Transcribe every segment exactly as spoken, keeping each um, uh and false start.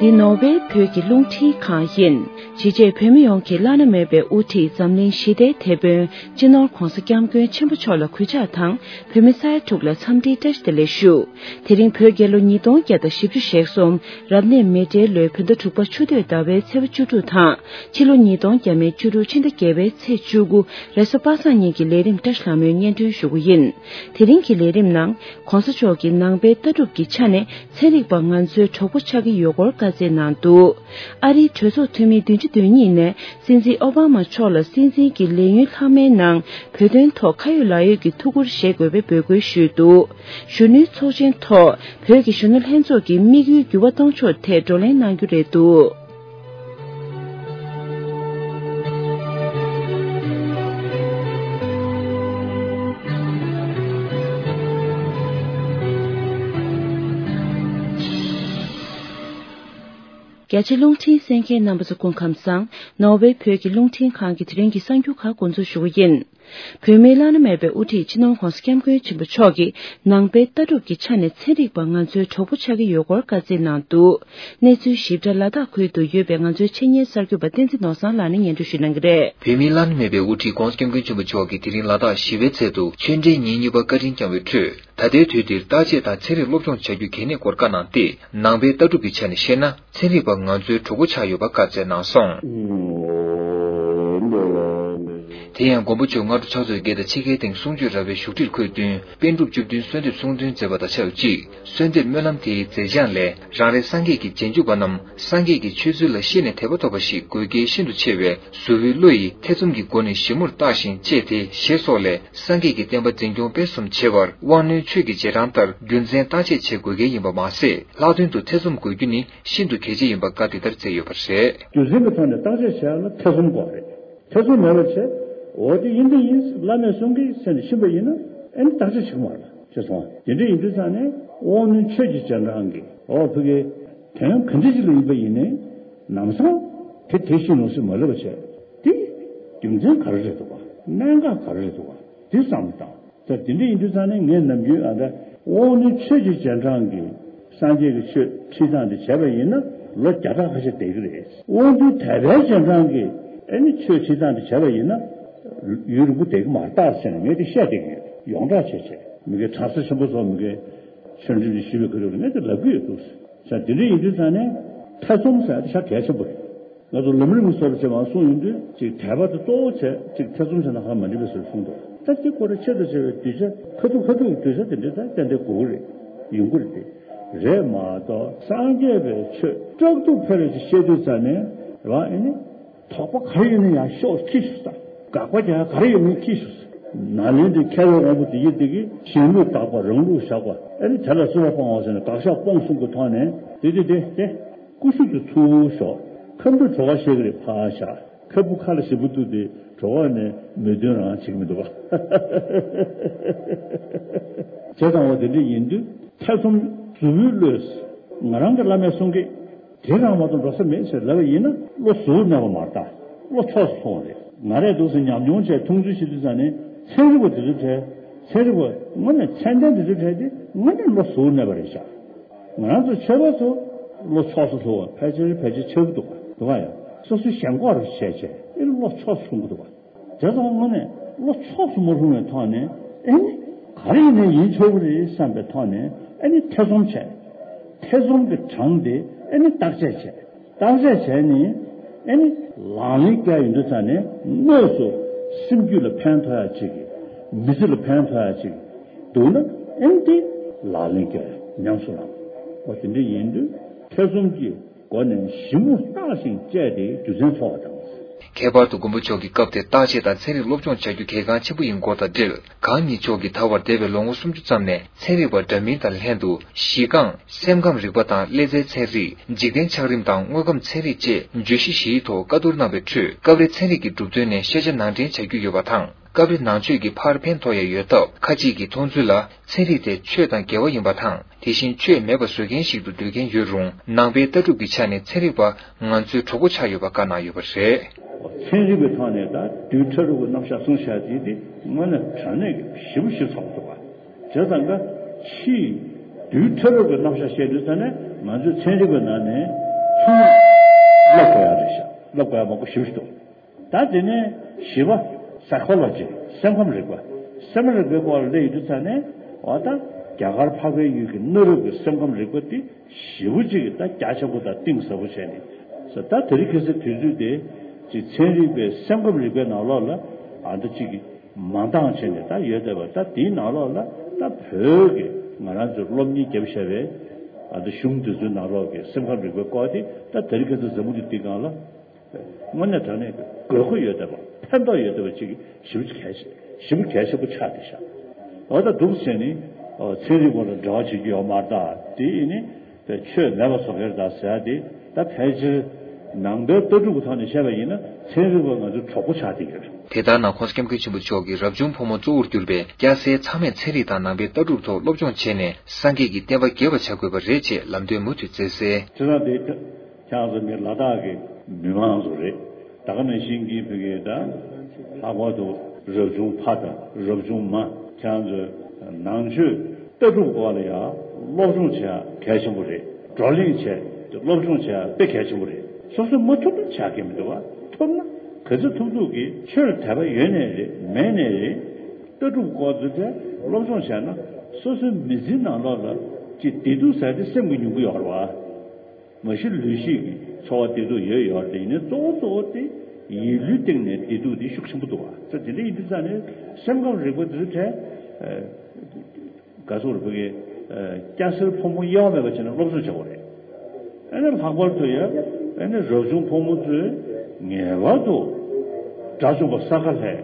འདི་ནོར་ཝེ་བོད་ཀྱི་རླུང་འཕྲིན་ཁང་ཡིན། ཕྱི་རྒྱལ་བོད་མི་ཡོངས་ཀྱི་བླ་ན་མེད་པའི་དབུ་ཁྲིད་འཛམ་གླིང་ཞི་བདེའི་དེད་དཔོན་སྤྱི་ནོར་༧གོང་ས་༧སྐྱབས་མགོན་ཆེན་པོ་མཆོག་ལ་གུས་ཕྱག་དང་། བོད་མི་ས་ཡ་དྲུག་ལ་འཚམས་འདྲིའི་བཀྲ་ཤིས་བདེ་ལེགས་ཞུ། དེ་རིང་བོད་རྒྱལ་ལོ་ཉིས་སྟོང་བརྒྱ་དང་བཞི་བཅུ་ཞེ་གསུམ་རབ་གནས་མེ་སྤྲེལ་ལོའི་བོད་ཟླ་དྲུག་པ་ཆུ་སྟོད་ཟླ་བའི་ཚེས་པ་བཅུ་དྲུག་དང་། ཕྱི་ལོ་ཉིས་སྟོང་ཉེར་དྲུག་ཕྱི་ཟླ་བརྒྱད་པའི་ཚེས་བཅུ་དགུ་རེས་གཟའ་པ་སངས་ཉིན་གྱི་ལས་རིམ་བཀྲ་ཤིས་ལྷ་མོས་སྙན་སྒྲོན་ཞུ་རྒྱུ་ཡིན། དེ་རིང་གི་ལས་རིམ་ནང་། ༸གོང་ས་མཆོག་གིས་ནང་པའི་ལྟ་གྲུབ་ཀྱི་ཆ་ནས་ཚན་རིག་པ་ང་ཚོའི་གྲོགས་པོ་ཆགས་ཀྱི་ཡོད་སྐོར་བཀའ་སྩལ་གནང་འདུག་ཨ་རིའི་གྲོས་ཚོགས་འཐུས་མི་བདུན་ཅུ་དོན་གཉིས་ནས་སྲིད་འཛིན་ཨོ་བྷ་མ་མཆོག་ལ་སྲིད་འཛིན་གྱི་ལས་ཡུན་ལྷག་མའི་ནང་བོད་དོན་ཐོག་ཁ་ཡོད་ལག་ཡོད་ཀྱི་ཐུགས་ཁུར་བཞེས་དགོས་པའི་འབོད་སྐུལ་ཞུས་འདུག་གཞོན་ནུའི་ཚོགས་ཆེན་ཐོག་བོད་ཀྱི་གཞོན་ནུ་ལྷན་ཚོགས་ཀྱི་དམིགས་ཡུལ་འགྱུར་བ་གཏོང་ཕྱོགས་ཐད་བགྲོ་གླེང་གནང་རྒྱུ་རེད་འདུག་རྒྱ་ཆེ་རླུང་འཕྲིན་གསན་མཁན་རྣམ་པ་ཚོ་སྐུ་ཁམས་བཟང་། ནོར་ཝེ་བོད་ཀྱི་རླུང་འཕྲིན་ཁང་གི་དེ་རིང་གི་གསར་འགྱུར་ཁག་འགོ་འཛུགས་ཞུ་གི་ཡིན། བོད་མིའི་བླ་ན་མེད་པའི་དབུ་ཁྲིད་སྤྱི་ནོར་༧གོང་ས་༧སྐྱབས་མགོན་ཆེན་པོ་མཆོག་གིས་ནང་པའི་ལྟ་གྲུབ་ཀྱི་ཆ་ནས་ཚན་རིག་པ་ང་ཚོའི་གྲོགས་པོ་ཆགས་ཀྱི་ཡོད་སྐོར་བཀའ་སྩལ་གནང་འདུག་གནས་ཚུལ་ཞིབ་ཕྲ་ལ་དྭགས་ཁུལ་དུ་ཡོད་པའི་ང་ཚོའི་ཆེད་གཉེར་གསར་འགོད་པ་བསྟན་འཛིན་ནོར་བཟང་ལགས་ནས་སྙན་སྒྲོན་ཞུ་གནང་གི་རེད། བོད་མིའི་བླ་ན་མེད་པའི་དབུ་ཁྲིད་༧གོང་ས་༧སྐྱབས་མགོན་ཆེན་པོ་མཆོག་གིས་དེ་རིང་ལ་དྭགས་བཞི་པའི་ཚལ་དུ་ཆོས་འབྲེལ་ཉིན་གཉིས་པ་བཀའ་དྲིན་བསྐྱངས་པའི་ཁྲོད། ད་ལྟའི་དུས་འདིར་བརྟག་དཔྱད་དང་ཚན་རིག་སློབ་སྦྱོང་བྱ་རྒྱུ་གལ་གནད་སྐོར་བཀའ་གནང་སྟེ། ནང་པའི་ལྟ་གྲུབ་ཀྱི་ཆ་ནས་བཤད་ན། ཚན་རིག་པ་ང་ཚོའི་གྲོགས་པོ་ཆགས་ཡོད་པ་བཀའ་སྩལ་གནང་སོང་། དེ་ཡང་མགོན་པོ་མཆོག་སྔ་དྲོ་ཕྱག་ཚོད་བརྒྱད་དང་ཕྱེད་ཀའི་སྟེང་གསུང་ཆོས་ར་བའི་བཞུགས་ཁྲིར་འཁོད་བསྟུན། པཎ་གྲུབ་བཅུ་བདུན་གསོལ་འདེབས་གསུང་འདོན་མཛད་པ་དང་ཆབས་ཅིག་གསོལ་འདེབས་སྨོན་ལམ་དེའི་མཛད་བྱང་ལས། རང་རེ་སངས་རྒྱས་ཀྱི་རྗེས་འཇུག་པ་རྣམས་སངས་རྒྱས་ཀྱི་ཆོས་ཚུལ་ལ་ཤེས་ནས་དད་པ་ཐོབ་པ་ཞིག་དགོས་གལ་ཤིན་ཏུ་ཆེ་བས། གཟུ་བོའི་བློ་ཡིས་ཐེ་ཚོམ་གྱི་སྒོ་ནས་ཞིབ་མོར་བརྟགས་ཤིང་དཔྱད་དེ་ཞེས་སོགས་ལས། སངས་རྒྱས་ཀྱི་བསྟན་པ་འཛིན་སྐྱོང་སྤེལ་གསུམ་བྱེད་པར་དབང་རྣོན་ཆོས་ཀྱི་རྗེས་འབྲང་ལྟར་རྒྱུ་མཚན་བརྟག་དཔྱད་བྱེད་དགོས་གལ་ཡིན་པ་མ་ཟད། ལྷག་དོན་དུ་ཐེ་ཚོམ་དགོས་རྒྱུ་ནི་ཤིན་ཏུ་གལ་ཆེ་ཡིན་པ་བཀའ་འདི་ལྟར་སྩལ་ཡོད་པ་རེད། རྒྱུ་མཚན་གྱི་ཐོག་ནས་བརྟག་དཔྱད་བྱེད་ཡག་ལ་ཐེ་ཚོམ་དགོས་རེད། ཐེ་ཚོམ་མེད་པ་བྱས། འོ་དེ་ཡིན་དེ་ཡིན་བླ་མས་གསུང་གི་ཟེར་ནས་ཕྱིན་པ་ཡིན་ན་ཨེ་ནི་བརྟག་དཔྱད་བྱེད་ཀྱི་མ་རེད་ཅེས་གསུངས་པ། དེ་འདྲ་ཡིན་དུས་ཙང་ནས་དབང་རྣོན་ཆོས་ཀྱི་རྗེས་འབྲང་གི་འོ་ཕ་གི་དོན་ག་འདྲ་ཞིག་ལ་ཡིན་པ་ཡིན་ནའི་ལམ་སང་དེ་དེ་བཞིན་ནོ་ཞེས་མ་ལབ་པ་བྱས། དེ་རྒྱུ་མཚན་ག་རེ་རེད་འདུག་ག་གནད་འགག་ག་རེ་རེད་འདུག་ག་དེ་བསམ་བློ་བཏང་། ད་དེ་འདྲ་ཡིན་དུས་ཙང་ནས་ངས་ནམ་རྒྱུན་ཨ་ད་དབང་རྣོན་ཆོས་ཀྱི་རྗེས་འབྲང་གི་སངས་རྒྱས་ཀྱི་ཆོས་ཁྲིད་སྟངས་དེ་བྱས་པ་ཡིན་ན་ལོ་བརྒྱ་ཕྲག་ཁ་ཤས་བསྡད་ཀྱི་རེད། དབང་རྣོན་དད་པའི་རྗེས་འབྲང་གི་ཨ་ནི་ཆོས་ཁྲིད་སྟངས་དེ་བྱས་པ་ཡིན་ན་ཡུན་རིང་པོ་བསྡད་ཀྱི་མ་རེད་ཟེར་ནས་ངས་དེ་བཤད་བསྡད་ཀྱི་ཡོད། ཡོངས་གྲགས་བྱས་བྱས་མི་དགེ་གྲྭ་ས་ཆེན་པོ་ཚོ་མི་དགེ་ཆོས་འབྲེལ་དེ་ཞུས་པའི་ཁ་ཐུག་ལ་ངས་དེ་ལབ་ཀྱི་ཡོད་འདུག་ཟེར། དེ་འདྲ་ཡིན་དུས་ཙང་ནས་ཐེ་ཚོམ་ཟེར་ཡ་དེ་ཤ་གལ་ཆེན་པོ་རེད། ང་ཚོ་ལམ་རིམ་གྱི་སྐོར་ལ་བྱས་པ་གསུངས་ཡོང་དུས་ཅིག་དད་པ་དེ་གཙོ་བོ་བྱས་ཅིག་ཐེ་ཚོམ་བྱས་ན་ཧ་མ་འགྲིག་པའི་བཟོ་གསུངས་འདུག་ད་དེ་སྐོར་ལ་ཆེད་དུ་བྱས་པའི་གདུལ་བྱ་ཁ་ཐུག་ཁ་ཐུག་གི་གདུལ་བྱ་དེ་འདྲ་ད་ཏན་ཏན་དགོས་ཀྱི་རེད། ཡོང་གི་རེད་དེ། རེད་མ་གཏོགས་སངས་རྒྱས་པའི་ཆོས་དཀྲུག་ཐུབ་ཕལ་བ་ཅིག་བཤད་དུས་ཙང་ནས་རང་ཨེ་ནི་དོགས་པ་ག་རེ་ཡོད་ན་ཡང་ཤོག་ཁྱི་ཤོག་ཟེར། དགག་པ་རྒྱག་ག་རེ་ཡོད་ན་ཁྱི་ཤོག་ཟེར། ནཱ་ལེནྡྲའི་མཁས་པའི་དབང་པོ་དེ་ཡིན་དེ་གི་གཞན་ལུགས་དགག་པ་རང་ལུགས་བཞག་པ་ཨེ་ནི་དེ་ལ་རྩོད་པ་སྤོང་བ་ཟེར་ནས་དགག་བཞག་སྤོང་གསུམ་གྱི་ཐོག་ནས་དེ་དེ་དེ་དེ། ཀུ་ཤུ་དེ་ཚུར་ཞོག་ཁ་འབུ་གྲོ་ག་བཤད་ཀྱི་རེད་ཕར་བཞག་ཁ་འབུ་ཁ་ལ་ཞིབ་པོ་གཏུགས་ཏེ་གྲོ་ག་ནས་མེ་འདོན་རང་བྱེད་ཀྱི་མི་འདུག་ག་བྱས་ཙང་འོ་དེ་འདྲ་ཡིན་དུས་ཐེ་ཚོམ་གཟུ་བོའི་བློས། ང་རང་གི་བླ་མས་གསུང་གི་དེ་རང་མ་གཏོགས་འགྲོ་ས་མེད་ཟེར་ལབ་པ་ཡིན་ན་བློ་གཟུ་བོར་གནས་པ་མ་རེད་ད། བློ་ཕྱོགས་སུ་སོང་བ་རེད། ང་རས་འདུག་སེ་ཉམས་མྱོང་བྱས་མཐོང་ཚུལ་བྱེད་དུས་ཙང་ནས་ཚན་རིག་པ་དེ་ཚོའི་གྲས་ཚན་རིག་པ་དངོས་གནས་ཚད་ལྡན་དེ་ཚོའི་གྲས་དེ་དངོས་གནས་བློ་གཟུ་བོར་གནས་པ་རེད་ཤག་ང་རང་ཚོ་ཆོས་པ་ཚོ་བློ་ཕྱོགས་སུ་ལྷུང་བ་ཕལ་ཆེར་ཕལ་ཆེར་ཆགས་ཀྱི་འདུག་ག་འདུག་ག་ཡ། སོ་སོའི་ཞེན་ཁོག་རུ་བྱས་བྱས་ཨེ་བློ་ཕྱོགས་སུ་ལྷུང་གི་འདུག་ག་དེ་ཚོ་དངོས་གནས་བློ་ཕྱོགས་སུ་མ་ལྷུང་བའི་ཐོག་ནས་ཨེ་ནི་ག་རེ་ཡིན་ནའི་ཡིན་ཆོག་གི་རེད་བསམ་པའི་ཐོག་ནས་ཨེ་ནི་ཐེ་ཚོམ་བྱས། ཐེ་ཚོམ་གྱི་གྲངས་དེ་ཨེ་ནི་བརྟག་དཔྱད་བྱས། བརྟག་དཔྱད་བྱས་ནས་ཨེ་ནི་ལག་ལེན་བཀལ་ཡོང་དུས་ཙང་ནས་དངོས་སུ་སེམས་རྒྱུད་ལ་ཕན་ཐོགས་ཡ་ཅིག་མི་ཚེ་ལ་ཕན་ཐོགས་ཡ་ཅིག་འདུག་ན་ཨེ་ནི་དེ་ལག་ལེན་བཀལ་ཉམས་སུ་བླང་། འོ་དེ་འདྲ་ཡིན་དུས་ཐེ་ཚོམ་གྱི་སྒོ་ནས་ཞིབ་མོ་བརྟགས་ཤིང་དཔྱད་དེ་རྒྱུ་མཚན་འཚོལ་བ་དང་། ཁྱད་པར་དུ་མགོན་པོ་མཆོག་གི་སྐབས་དེར་བརྟག་དཔྱད་དང་ཚན་རིག་སློབ་སྦྱོང་བྱ་རྒྱུ་གལ་འགངས་ཆེན་པོ་ཡིན་སྐོར་དང་འབྲེལ། གང་ཉིད་མཆོག་གིས་ད་བར་འདས་པའི་ལོ་ངོ་སུམ་ཅུ་ཙམ་ནས་ཚན་རིག་པ་འདྲ་མིན་དང་ལྷན་དུ་གཞི་རྐང་སེམས་ཁམས་རིག་པ་དང་ཀླད་རྩའི་ཚན་རིག་འཇིག་རྟེན་ཆགས་རིམ་དང་དངོས་ཁམས་ཚན་རིག་བཅས་བརྗོད་གཞི་བཞིའི་ཐོག་བཀའ་བསྡུར་གནང་བའི་ཁྲོད་སྐབས་རེ་ཚན་རིག་གི་གྲུབ་དོན་ནས་ཤེས་བྱ་ནང་འདྲེན་བྱ་རྒྱུ་ཡོད་པ་དང་། སྐབས་རེ་ནང་ཆོས་ཀྱི་ཕར་ཕན་ཐོགས་ཡ་ཡོད་སྟབས་ཁ་ཅིག་གིས་མཐོང་ཚུལ་ལ་ཚན་རིག་དེ་ཆོས་དང་འགལ་བ་ཡིན་པ་དང་། དེ་བཞིན་ཆོས་མེད་པ་བཟོ་མཁན་ཞིག་ཏུ་འདོད་མཁན་ཡོད་རུང་ནང་པའི་ལྟ་གྲུབ་ཀྱི་ཆ་ནས་ཚན་རིག་པ་ང་ཚོའི་གྲོགས་པོ་ཆགས་ཡོད་པ་བཀའ་གནང་ཡོད་པ་རེད། ཚན་རིག་པའི་ཐོག་ནས་ད་རྡུལ་ཕྲ་རབ་ཀྱི་རྣམ་གཞག་གསུངས་བཞག་དེ་དེ་དངོས་གནས་དྲང་གནས་ཀྱི་ཞིབ་པོ་ཞིབ་ཚགས་པོ་འདུག་ག་བྱས་ཙང་ཀ་ཕྱིའི་རྡུལ་ཕྲ་རབ་ཀྱི་རྣམ་གཞག་བཤད་དུས་ཙ་ནས་ང་ཚོའི་ཚན་རིག་པའི་ནང་ནས་ ཐུན་མོང་སློབ་དགོས་ཡག་རེད་ཤག་སློབ་དགོས་ཡག་མང་པོ་ཞེ་པོ་ཅིག་འདུག་ད་དེ་ནས་བཞི་པ་Psychology། སེམས་ཁམས་རིག་པ། སེམས་ཁམས་རིག་པའི་སྐོར་ལ་སླེབས་ཡོང་དུས་ཙ་ནས་འོ་ད་རྒྱ་གར་འཕགས་པའི་ཡུལ་གྱི་གནའ་རབས་ཀྱི་སེམས་ཁམས་རིག་པ་དེ་ཞེ་པོ་ཅིག་ད་རྒྱ་ཆེན་པོ་དང་གཏིང་ཟབ་པོ་བྱས་ནས། ད་དེ་རིང་ཁ་སང་དུས་ཚོད་དེ་ཅིག་ཚན་རིག་པའི་སེམས་ཁམས་རིག་པའི་ནང་ལོགས་ལ་ཨ་ད་ཅིག་མ་འདང་བྱས་ནས་ད་ཡོད་བསྡད་པ། ད་དེའི་ནང་ལོགས་ལ་ད་བོད་ཀྱི་ང་རང་ཚོའི་སློབ་གཉེར་བརྒྱབ་བཞག་པའི་ཨ་ད་གཞུང་དེ་ཚོའི་ནང་ལོགས་ཀྱི་སེམས་ཁམས་རིག་པའི་སྐོར་དེ་ད་དེ་རིང་ཁ་སང་འཛམ་བུ་གླིང་འདིའི་སྒང་ལ་དངོས་གནས་དྲང་གནས་ཀྱི་དགོས་མཁོ་ཡོད་བསྡད་པ། ཕན་ཐོགས་ཡོད་བསྡད་པ་ཅིག་ཞེ་པོ་གལ་ཆེ་ཞེ་པོ་གལ་ཆེན་པོ་ཆགས་བསྡད་ཤག་འོ་ད་འདུག་ཟེར་ནས་ཚན་རིག་པ་ལ་འབྲེལ་བ་བྱེད་རྒྱུ་ཡོད་མ་རེད། ད་དེ་ཡིན་ནི་ཆོས་མེད་པ་བཟོ་མཁན་རེད་ད་ཟེར་ཡ་དེ་ད་ཕལ་ཆེར་ནང་པའི་ལྟ་གྲུབ་ཀྱི་ཐོག་ནས་བཤད་པ་ཡིན་ན་ཚན་རིག་པ་ང་ཚོའི་གྲོགས་པོ་ཆགས་བསྡད་ཡོད་རེད། དེ་ལྟར་ན་༸གོང་ས་༸སྐྱབས་མགོན་ཆེན་པོ་མཆོག་གིས་རབ་བྱུང་ཕོ་མོ་གཙོ་བོར་གྱུར་པའི་སྐྱ་སེར་ཚང་མས་ཚན་རིག་དང་ནང་པའི་ལྟ་གྲུབ་ཐོག་སློབ་སྦྱོང་བྱས་ནས་སངས་རྒྱས་ཀྱི་བསྟན་པ་རྒྱས་པར་བྱ་དགོས་པ་རེད་ཅེས་ལམ་སྟོན་མུ་མཐུད་བསྩལ་གསལ། བྱས་ཙང་དེ་ཁྱེད་རང་ཚོ་མི་ལ་དྭགས་ཀྱི་མི་མང་ཚོ་རེད། ད་ག་ནང་བཞིན་གྱི་བོད་ཀྱི་ད་ལྷག་པར་དུ་རབ་བྱུང་ཕ་དང་རབ་བྱུང་མ། ཁྱེད་རང་ཚོས་ནང་ཆོས་ལྟ་གྲུབ་སྐོར་ལ་ཡང་སློབ་སྦྱོང་བྱེད་ཡ་གལ་ཆེན་པོ་རེད། བགྲོ་གླེང་བྱས་སློབ་སྦྱོང་བྱེད་ཡ་དཔེ་གལ་ཆེན་པོ་རེད། སོ་སོས་མ་ཐུབ་ན་བྱ་གི་མི་འདུག་བ། ཐུབ་ན་ག་ཚོད་ཐུབ་ཐུབ་ཀྱིས་ཆོས་ལ་དད་པ་ཡོད་ནའི་རེད་མེད་ནའི་རེད། ལྟ་གྲུབ་སྐོར་དེ་ཚོ་སློབ་སྦྱོང་བྱས་ན་སོ་སོའི་མི་ཚེའི་ནང་ལོགས་ལ་ཅིག་བདེ་སྡུག་ཟེར་དེ་སེམས་ཀྱིས་མྱོང་གི་ཡོད་རེད་བ། མ་གཞི་ལུས་ཤེས་ཀྱི་ཚོར་བ་བདེ་སྡུག་ཡོད་ཡོད་རེད། ཡིན་ནའི་གཙོ་བོ་གཙོ་བོ་དེ་ཡིད་བློའི་སྟེང་ནས་བདེ་སྡུག་དེ་ཤུགས་ཆེན་པོ་འདུག་བ། ཚེ་འདི་འདྲ་ཡིན་དུས་ཙང་ནས་སེམས་ཁམས་རིག་པ་དེ་ཚོའི་གྲས་ག་སོགས་རེད་བོད་ཀྱི་སྐྱ་སེར་ཕོ་མོ་དབྱེ་བ་མེད་པ་བྱས་ནས་སློབ་གསོ་བྱེད་དགོས་རེད། ཨ་ནི་ལྷག་པར་དུ་ཡང་ཨ་ནི་རབ་བྱུང་ཕོ་མོ་ཚོས་ངེས་པར་དུ་དགྲ་བཅོམ་པ་ས་ཁ་ལྷས།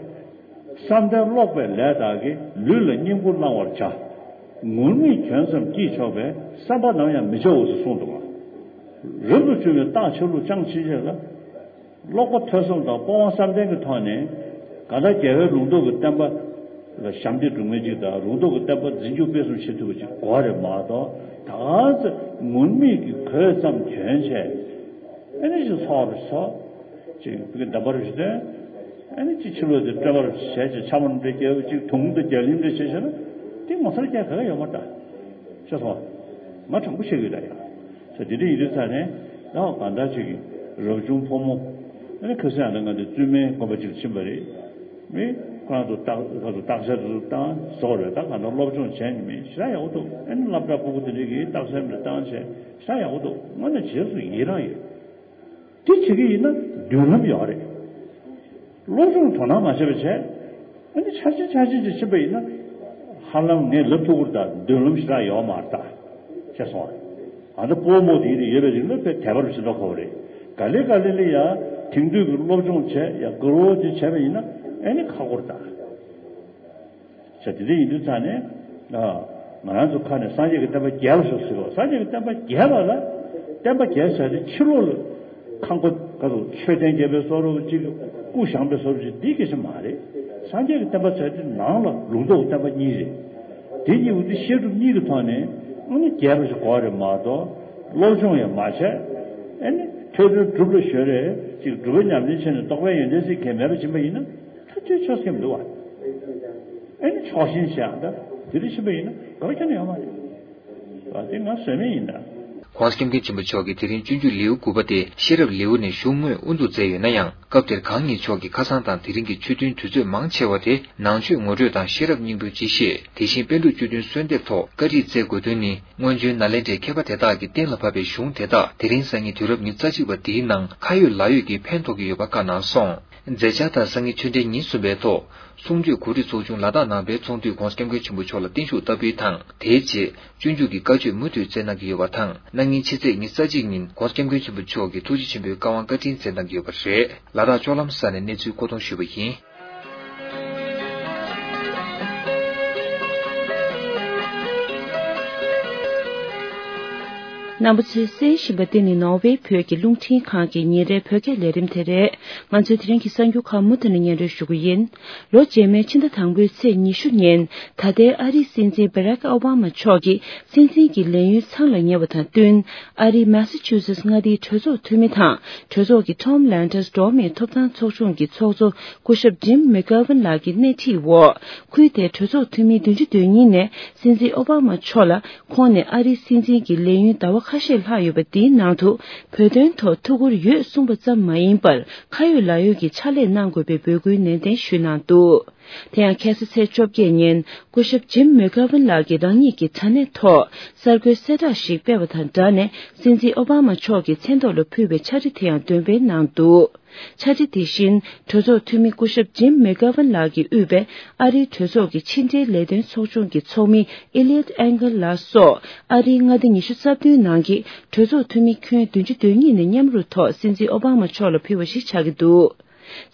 བསམ་གཏན་ཀློག་པའི་ལས་དག་གིས། ལུས་ལ་བསྙེན་བཀུར་བླང་བར་བྱ། ངུར་སྨྲིག་གྱོན་ཙམ་སྐྱིད་ཆོག་པའི། བསམ་པ་ནམ་ཡང་མི་བྱའོ་ཞེས་གསུངས་འདུག་བ། རབ་ཏུ་བྱུང་བའི་རྟགས་ཆ་ལུགས་ཅང་ཕྱིན་ཆད་ལ། ཀློག་པ་ཐོས་བསམ་དང་སྤོབས་དབང་བསམ་གཏན་གྱི་ཐོག་ནས། གང་ལྟར་རྒྱལ་བའི་ལུང་རྟོགས་ཀྱི་བསྟན་པ་ལ་ཞབས་འདེགས་སྒྲུབ་མཁན་ཅིག་དང་། ལུང་རྟོགས་ཀྱི་བསྟན་པ་འཛིན་སྐྱོང་སྤེལ་གསུམ་བྱེད་ཐུབ་པ་ཅིག་དགོས་རེད་མ་གཏོགས། ད་ག་ཚོད་ངུར་སྨྲིག་གི་གོས་ཙམ་གྱོན་བྱས། ཨ་ནི་ཅིག་ཚོགས་རུ་ཚོགས། ཅིག་བོད་ཀྱི་འདམ་པར་རུ་སྟོན། ཨ་ནི་ཅིག་ཕྱི་ལོགས་དེ་སྤྲོ་བར་བྱས་ཅིག་ཆ་མོ་འདྲ་རྒྱབ། ཅིག་དུང་དང་རྒྱ་གླིང་འདྲ་བྱས་བྱས་ན་དེ་ངོ་མཚར་རྒྱག་ག་ག་ཡོད་མ་རེད་ད། ཤེས་སོང་། ང་དྲང་པོ་བཤད་ཀྱི་ཡོད་ད་ཡ། ས་དེ་འདྲ་ཡིན་དུས་ཙང་ནས་ད་གང་ལྟར་ཅིག་རབ་བྱུང་ཕོ་མོ། ཨ་ནི་ཁ་སང་ཡང་ང་དེ་བཙུན་མའི་དགོན་པ་ཅིག་ཕྱིན་པ་རེད། མི་ཁོ་རང་ཚོ་བརྟག་ཁ་ཚོ་བརྟག་དཔྱད་དེ་ཚོ་བཏང་བཟོ་རེད། ད་གང་ལྟར་སློབ་སྦྱོང་བྱས་ནས་མི་ཞེ་དྲག་ཡག་པོ་འདུག་ཨ་ནི་སློབ་གྲྭ་ཕྲུ་གུ་དེ་འདྲ་གིས་རྟགས་གསལ་མི་བཏང་བྱས་ཞེ་དྲག་ཡག་པོ་འདུག་དངོས་གནས་རྗེས་སུ་ཡི་རང་ཡོད། དེ་བྱེད་ཀྱི་ཡིན་ན་མདུན་ལམ་ཡོད་རེད། སློབ་སྦྱོང་དོ་སྣང་མ་བྱས་པ་བྱས། ཨ་ནི་ཆ་ཆེན་ཆ་ཆེན་ཅིག་ཕྱིན་པ་ཡིན་ན། ཧ་ལམ་ངས་ལབ་ཐུབ་ཀྱི་རེད་ད། མདུན་ལམ་ཞེ་དྲག་ཡོད་མ་རེད་ད། ཤེས་སོང་ཨ། ཨ་ད་སྤོ་རྨོ་དེ་ཡིན་ན་ཡོད་པའི་རིང་ལ་དཔེ་དད་པ་རུ་ཞིག་འགྲོ་དགོས་པ་རེད། ག་ལེ་ག་ལེ་ལ་ཡ་དེང་དུས་ཀྱི་སློབ་སྦྱོང་བྱས་ཡ་དགའ་བོ་དེ་བྱས་པ་ཡིན་ན་ཨ་ནི་ཁག་པོ་རེད་ད། ཟེར་དེ་འདྲ་ཡིན་དུས་ཙང་ནས། ཨ། ང་རང་ཚོ་ཁ་ནས་སངས་རྒྱས་ཀྱི་བསྟན་པ་རྒྱས་པ་ཞིག་ཟེར་རོ། སངས་རྒྱས་ཀྱི་བསྟན་པ་རྒྱས་པ་ལ། བསྟན་པ་རྒྱས་ཟེར་ཏེ་ཕྱི་ལོགས་ལ་ཁང་པ་ག་ཚོད་མཆོད་རྟེན་རྒྱས་པའི་བཟོ་འདྲ་ཅིག་སྐུ་བཞེངས་པའི་བཟོ་འདྲ་ཅིག་འདི་སྐད་ཆ་མ་རེད། སངས་རྒྱས་ཀྱི་བསྟན་པ་ཟེར་ཏེ་ནང་ལ་ལུང་རྟོགས་བསྟན་པ་གཉིས་རེད། དེ་གཉིས་པོ་དེ་བཤད་སྒྲུབ་གཉིས་ཀྱི་ཐོག་ནས་ཨ་ནི་རྒྱས་པ་ཞིག་དགོས་རེད་མ་གཏོགས། སློབ་སྦྱོང་ཡང་མ་བྱས། ཨ་ནི་ཐོས་གྲོལ་སྒྲུབ་ལ་གཞོལ་རེད་ཅིག་སྒྲུབ་པ་ཉམས་ལེན་བྱས་ནས་རྟོགས་པའི་ཡོན་ཏན་ཟེར་མཁན་མེད་པ་ཕྱིན་པ་ཡིན་ན། ཐག་གཅོད་ཆོག་སེམས་འདུག་བ། ཨེ་ནི་ཕྱོགས་ཞེན་བྱས་ཨ་ད་དེ་རིང་ཕྱིན་པ་ཡིན་ན་དགོས་པ་ཁྱོན་ནས་ཡོད་མ་རེད། བ་དེ་ང་བཟོས་མེད་ཡིན་ད། ༸གོང་ས་༸སྐྱབས་མགོན་ཆེན་པོ་མཆོག་གིས་དེ་རིང་སྤྱོད་འཇུག་ལེའུ་དགུ་པ་དེ་ཤེས་རབ་ལེའུ་ནས་གཞུང་དངོས་དབུ་འཛུགས་མཛད་ཡོད་ན་ཡང་། སྐབས་དེར་གང་ཉིད་མཆོག་གིས་ཁ་སང་དང་དེ་རིང་གི་ཆོས་ཐུན་དུས་ཚོད་མང་ཆེ་བ་དེ་ནང་ཆོས་ངོ་སྤྲོད་དང་ཤེས་རབ་སྙིང་པོའི་སྤྱི་བཤད། དེ་བཞིན་པཎ་གྲུབ་སྤྱོད་ཐུན་གསོལ་འདེབས་ཐོག་བཀའ་ཁྲིད་སྩལ་དགོས་དོན་ནི། སྔོན་བྱོན་ནཱ་ལེནྡྲའི་མཁས་པ་དེ་དག་གིས་གཏན་ལ་ཕབ་པའི་གཞུང་དེ་དག་དེ་རིང་སང་ཉིན་དུས་རབས་ཉི་ཤུ་རྩ་གཅིག་པ་འདིའི་ནང་ཁ་ཡོད་ལག་ཡོད་ཀྱིས་ཕན་ཐོགས་ཀྱི་ཡོད་པ་བཀའ་གནང་སོང་། མཛད་འཆར་ལྟར་སང་ཉིན་ཆོས་འབྲེལ་ཉིན་གསུམ་པའི་ཐོག་གསུང་ཆོས་གོ་སྒྲིག་ཚོགས་ཆུང་ལ་དྭགས་ནང་པའི་ཚོགས་འདུས་༸གོང་ས་༸སྐྱབས་མགོན་ཆེན་པོ་མཆོག་ལ་བརྟན་བཞུགས་བསྟར་འབུལ་དང་། དེའི་རྗེས་སྤྱོད་འཇུག་གི་བཀའ་ཆོས་མུ་མཐུད་སྩལ་གནང་གི་ཡོད་པ་དང་། གནངས་ཉིན་ཕྱི་ཚེས་ཉི་ཤུ་རྩ་གཅིག་ཉིན་༸གོང་ས་༸སྐྱབས་མགོན་ཆེན་པོ་མཆོག་གིས་ཐུགས་རྗེ་ཆེན་པོའི་བཀའ་དབང་བཀའ་དྲིན་སྩལ་གནང་གི་ཡོད་པ་རེད། ལ་དྭགས་ལྕོག་ལམ་ས་ནས་གནས་ཚུལ་མཁོ་གཏོང་ཞུས་པ་ཡིན། རྣམ་པ་ཚོས་གསན་བཞིན་པ་འདི་ནི་ནོར་ཝེ་བོད་ཀྱི་རླུང་འཕྲིན་ཁང་གི་ཉིན་རེའི་བོད་སྐད་ལས་རིམ་དེ་རེད། ང་ཚོའི་དེ་རིང་གི་གསར་འགྱུར་ཁག་མུ་མཐུད་ནས་སྙན་སྒྲོན་ཞུ་གི་ཡིན། ལོ་རྗེས་མའི་ཕྱི་ཟླ་དང་པོའི་ཚེས་ཉི་ཤུ་ཉིན་ད་ལྟའི་ཨ་རིའི་སྲིད་འཛིན་བྷ་རག་ཨོ་བྷ་མ་མཆོག་གིས་སྲིད་འཛིན་གྱི་ལས་ཡུན་ཚང་ལ་ཉེ་བ་དང་བསྟུན། ཨ་རིའི་མེ་སི་ཆུ་སེ་ཊི་མངའ་སྡེའི་གྲོས་ཚོགས་འཐུས་མི་དང་གྲོས་ཚོགས་ཀྱི་ཊོམ་ལན་ཌར་འགྲོ་བ་མིའི་ཐོབ་ཐང་ཚོགས་ཆུང་གི་ཚོགས་གཙོ་སྐུ་ཞབས་ཇིམ་མེག་གྷོ་ཝན་ལགས་ཀྱི་སྣེ་ཁྲིད་འོག་ཁུལ་དེའི་གྲོས་ཚོགས་འཐུས་མི་བདུན་ཅུ་དོན་གཉིས་ནས་སྲིད་འཛིན་ཨོ་བྷ་མ་མཆོག་ལ་ཁོང་ནས་ཨ་རིའི་སྲིད་འཛིན་གྱི་ལས་ཡུན་ཟླ་བ་ ཁ་ཤས་ལྷག་ཡོད་པ་དེའི་ནང་དུ་བོད་དོན་ཐོག་ཐུགས་ཁུར་ཡོད་གསུངས་པ་ཙམ་མ་ཡིན་པར་ཁ་ཡོད་ལག་ཡོད་ཀྱི་ཕྱག་ལས་གནང་དགོས་པའི་འབོད་སྐུལ་ནན་ཏན་ཞུས་གནང་འདུག་དེ་ཡང་ཁ་སང་ཚེས་བཅོ་བརྒྱད་ཉིན་སྐུ་ཞབས་ཇིམ་མེ་གྷ་ཝན་ལགས་ཀྱིས་རང་ཉིད་ཀྱི་དྲ་གནས་ཐོག་གསར་འགོད་གསལ་བསྒྲགས་ཤིག་སྤེལ་བ་དང་སྦྲགས་ནས་སྲིད་འཛིན་ཨོ་བྷ་མ་མཆོག་གི་མཚན་ཐོག་ལ་ཕུལ་བའི་ཕྱག་བྲིས་དེ་ཡང་འདོན་སྤེལ་གནང་འདུག་ཕྱག་བྲིས་དེ་བཞིན་གྲོས་ཚོགས་འཐུས་མི་སྐུ་ཞབས་ཇིམ་མེ་གྷ་ཝན་ལགས་ཀྱིས་དབུས་པའི་ཨ་རིའི་གྲོས་ཚོགས་ཀྱི་ཕྱི་འབྲེལ་ལས་དོན་ཚོགས་ཆུང་གི་ཚོགས་མི་ཨི་ལིའོད་ཨེང་གལ་ལགས་སོགས་ཨ་རིའི་མངའ་སྡེ་ཉི་ཤུ་རྩ་བདུན་ནང་གི་གྲོས་ཚོགས་འཐུས་མི་ཁྱོན་བདུན་ཅུ་དོན་གཉིས་ནས་མཉམ་རུབ་ཐོག་སྲིད་འཛིན་ཨོ་བྷ་མ་མཆོག་ལ་ཕུལ་བ་ཞིག་ཆགས་ཀྱི་འདུག་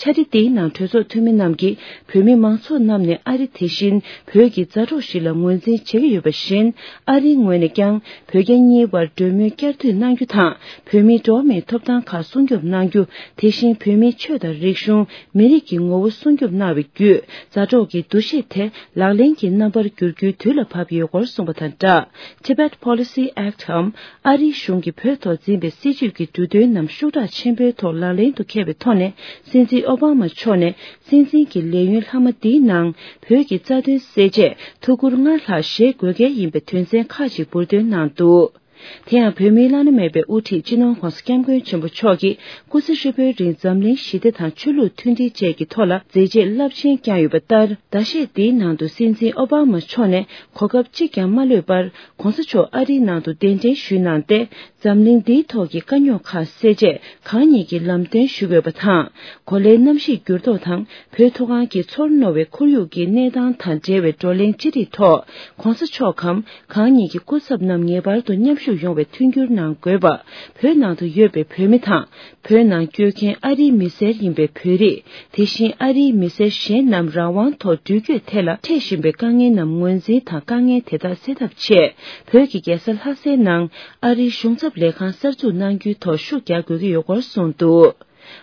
ཕྱག་བྲིས་དེའི་ནང་གྲོས་ཚོགས་འཐུས་མི་རྣམས་ཀྱིས་བོད་མི་མང་ཚོགས་རྣམས་ནས་ཨ་རི་དེ་བཞིན་བོད་ཀྱི་མཛའ་གྲོགས་ཤིག་ལ་ངོས་འཛིན་བྱེད་ཀྱི་ཡོད་པ་བཞིན། ཨ་རིའི་ངོས་ནས་ཀྱང་བོད་རྒྱ་གཉིས་བར་གྲོས་མོལ་བསྐྱར་མཐུད་གནང་རྒྱུ་དང་། བོད་མིའི་འགྲོ་བ་མིའི་ཐོབ་ཐང་ཁག་སྲུང་སྐྱོབ་གནང་རྒྱུ། དེ་བཞིན་བོད་མིའི་ཆོས་དང་རིག་གཞུང་། མི་རིགས་ཀྱི་ངོ་བོ་སྲུང་སྐྱོབ་གནང་བའི་བརྒྱུད། མཛའ་གྲོགས་ཀྱི་འདུ་ཤེས་དེ་ལག་ལེན་གྱི་རྣམ་པར་བསྒྱུར་རྒྱུའི་དུས་ལ་བབ་ཡོད་སྐོར་གསུངས་པ་དང་སྦྲགས། Tibet Policy Act འམ། ཨ་རིའི་གཞུང་གིས་བོད་ཐོག་འཛིན་པའི་སྲིད་བྱུས་ཀྱི་འབྲུ་དོན་རྣམས་ཤུགས་དྲག་ཆེན་པོའི་ཐོག་ལག་ལེན་དུ་འཁེལ་བའི་ཐོག་ནས། སྲིད་འཛིན་ཨོ་བྷ་མ་མཆོག་ནས་སྲིད་འཛིན་གྱི་ལས་ཡུན་ལྷག་མ་འདིའི་ནང་བོད་ཀྱི་རྩ་དོན་སེལ་ཆེད་ཐུགས་ཁུར་སྔར་ལྷག་བཞེས་དགོས་གལ་ཡིན་པའི་དོན་ཚན་ཁག་ཅིག་འབུར་འདོན་གནང་འདུག་དེ་ཡང་བོད་མིའི་བླ་ན་མེད་པའི་དབུ་ཁྲིད་སྤྱི་ནོར་༧གོང་ས་༧སྐྱབས་མགོན་ཆེན་པོ་མཆོག་གིས་སྐུ་ཚེ་ཧྲིལ་པོའི་རིང་འཛམ་གླིང་ཞི་བདེ་དང་ཆོས་ལུགས་མཐུན་སྒྲིལ་བཅས་ཀྱི་ཐོག་ལ་མཛད་རྗེས་རླབས་ཆེན་བསྐྱངས་ཡོད་པ་ལྟར། ཟླ་ཤས་འདིའི་ནང་དུ་སྲིད་འཛིན་ཨོ་བྷ་མ་མཆོག་ནས་གོ་སྐབས་གཅིག་ཀྱང་མ་ལྷོད་པར། ༸གོང་ས་མཆོག་ཨ་རིའི་ནང་དུ་གདན་འདྲེན་ཞུས་གནང་སྟེ། འཛམ་གླིང་འདིའི་ཐོག་གི་དཀའ་རྙོག་ཁག་སེལ་ཆེད་གང་ཉིད་ཀྱིས་ལམ་སྟོན་ཞུ་དགོས་པ་དང་། གོ་ལའི་གནམ་གཤིས་འགྱུར་ལྡོག་དང་བོད་མཐོ་སྒང་གི་ཚོར་རྣོ་བའི་ཁོར་ཡུག་གི་གནས་སྟངས་དང་འབྲེལ་བའི་བགྲོ་གླེང་ཅི་རིགས་ཐོག་༸གོང་ས་མཆོག་གམ་གང་ཉིད་ཀྱི་སྐུ་ཚབ་རྣམས་ངེས་པར་དུ་མཉམ་ཞུགས་ཡོང་བའི་མཐུན་འགྱུར་གནང་དགོས་པ། བོད་ནང་དུ་ཡོད་པའི་བོད་མི་དང་། བོད་ནང་བསྐྱོད་མཁན་ཨ་རིའི་མི་སེར་ཡིན་པའི་བོད་རིགས། དེ་བཞིན་ཨ་རིའི་མི་སེར་གཞན་རྣམས་རང་དབང་ཐོག་འགྲུལ་སྐྱོད་ཐད་ལ་འཕྲད་བཞིན་པའི་དཀའ་ངལ་རྣམས་ངོས་འཛིན་དང་དཀའ་ངལ་དེ་དག་སེལ་ཐབས་ཆེད། བོད་ཀྱི་རྒྱལ་ས་ལྷ་སའི་ནང་ཨ་རིའི་གཞུང་ཚབ་ལས་ཁང་གསར་འཛུགས་གནང་རྒྱུའི་ཐོག་ཤུགས་རྒྱག་དགོས་ཀྱི་ཡོད་སྐོར་གསུངས་འདུག་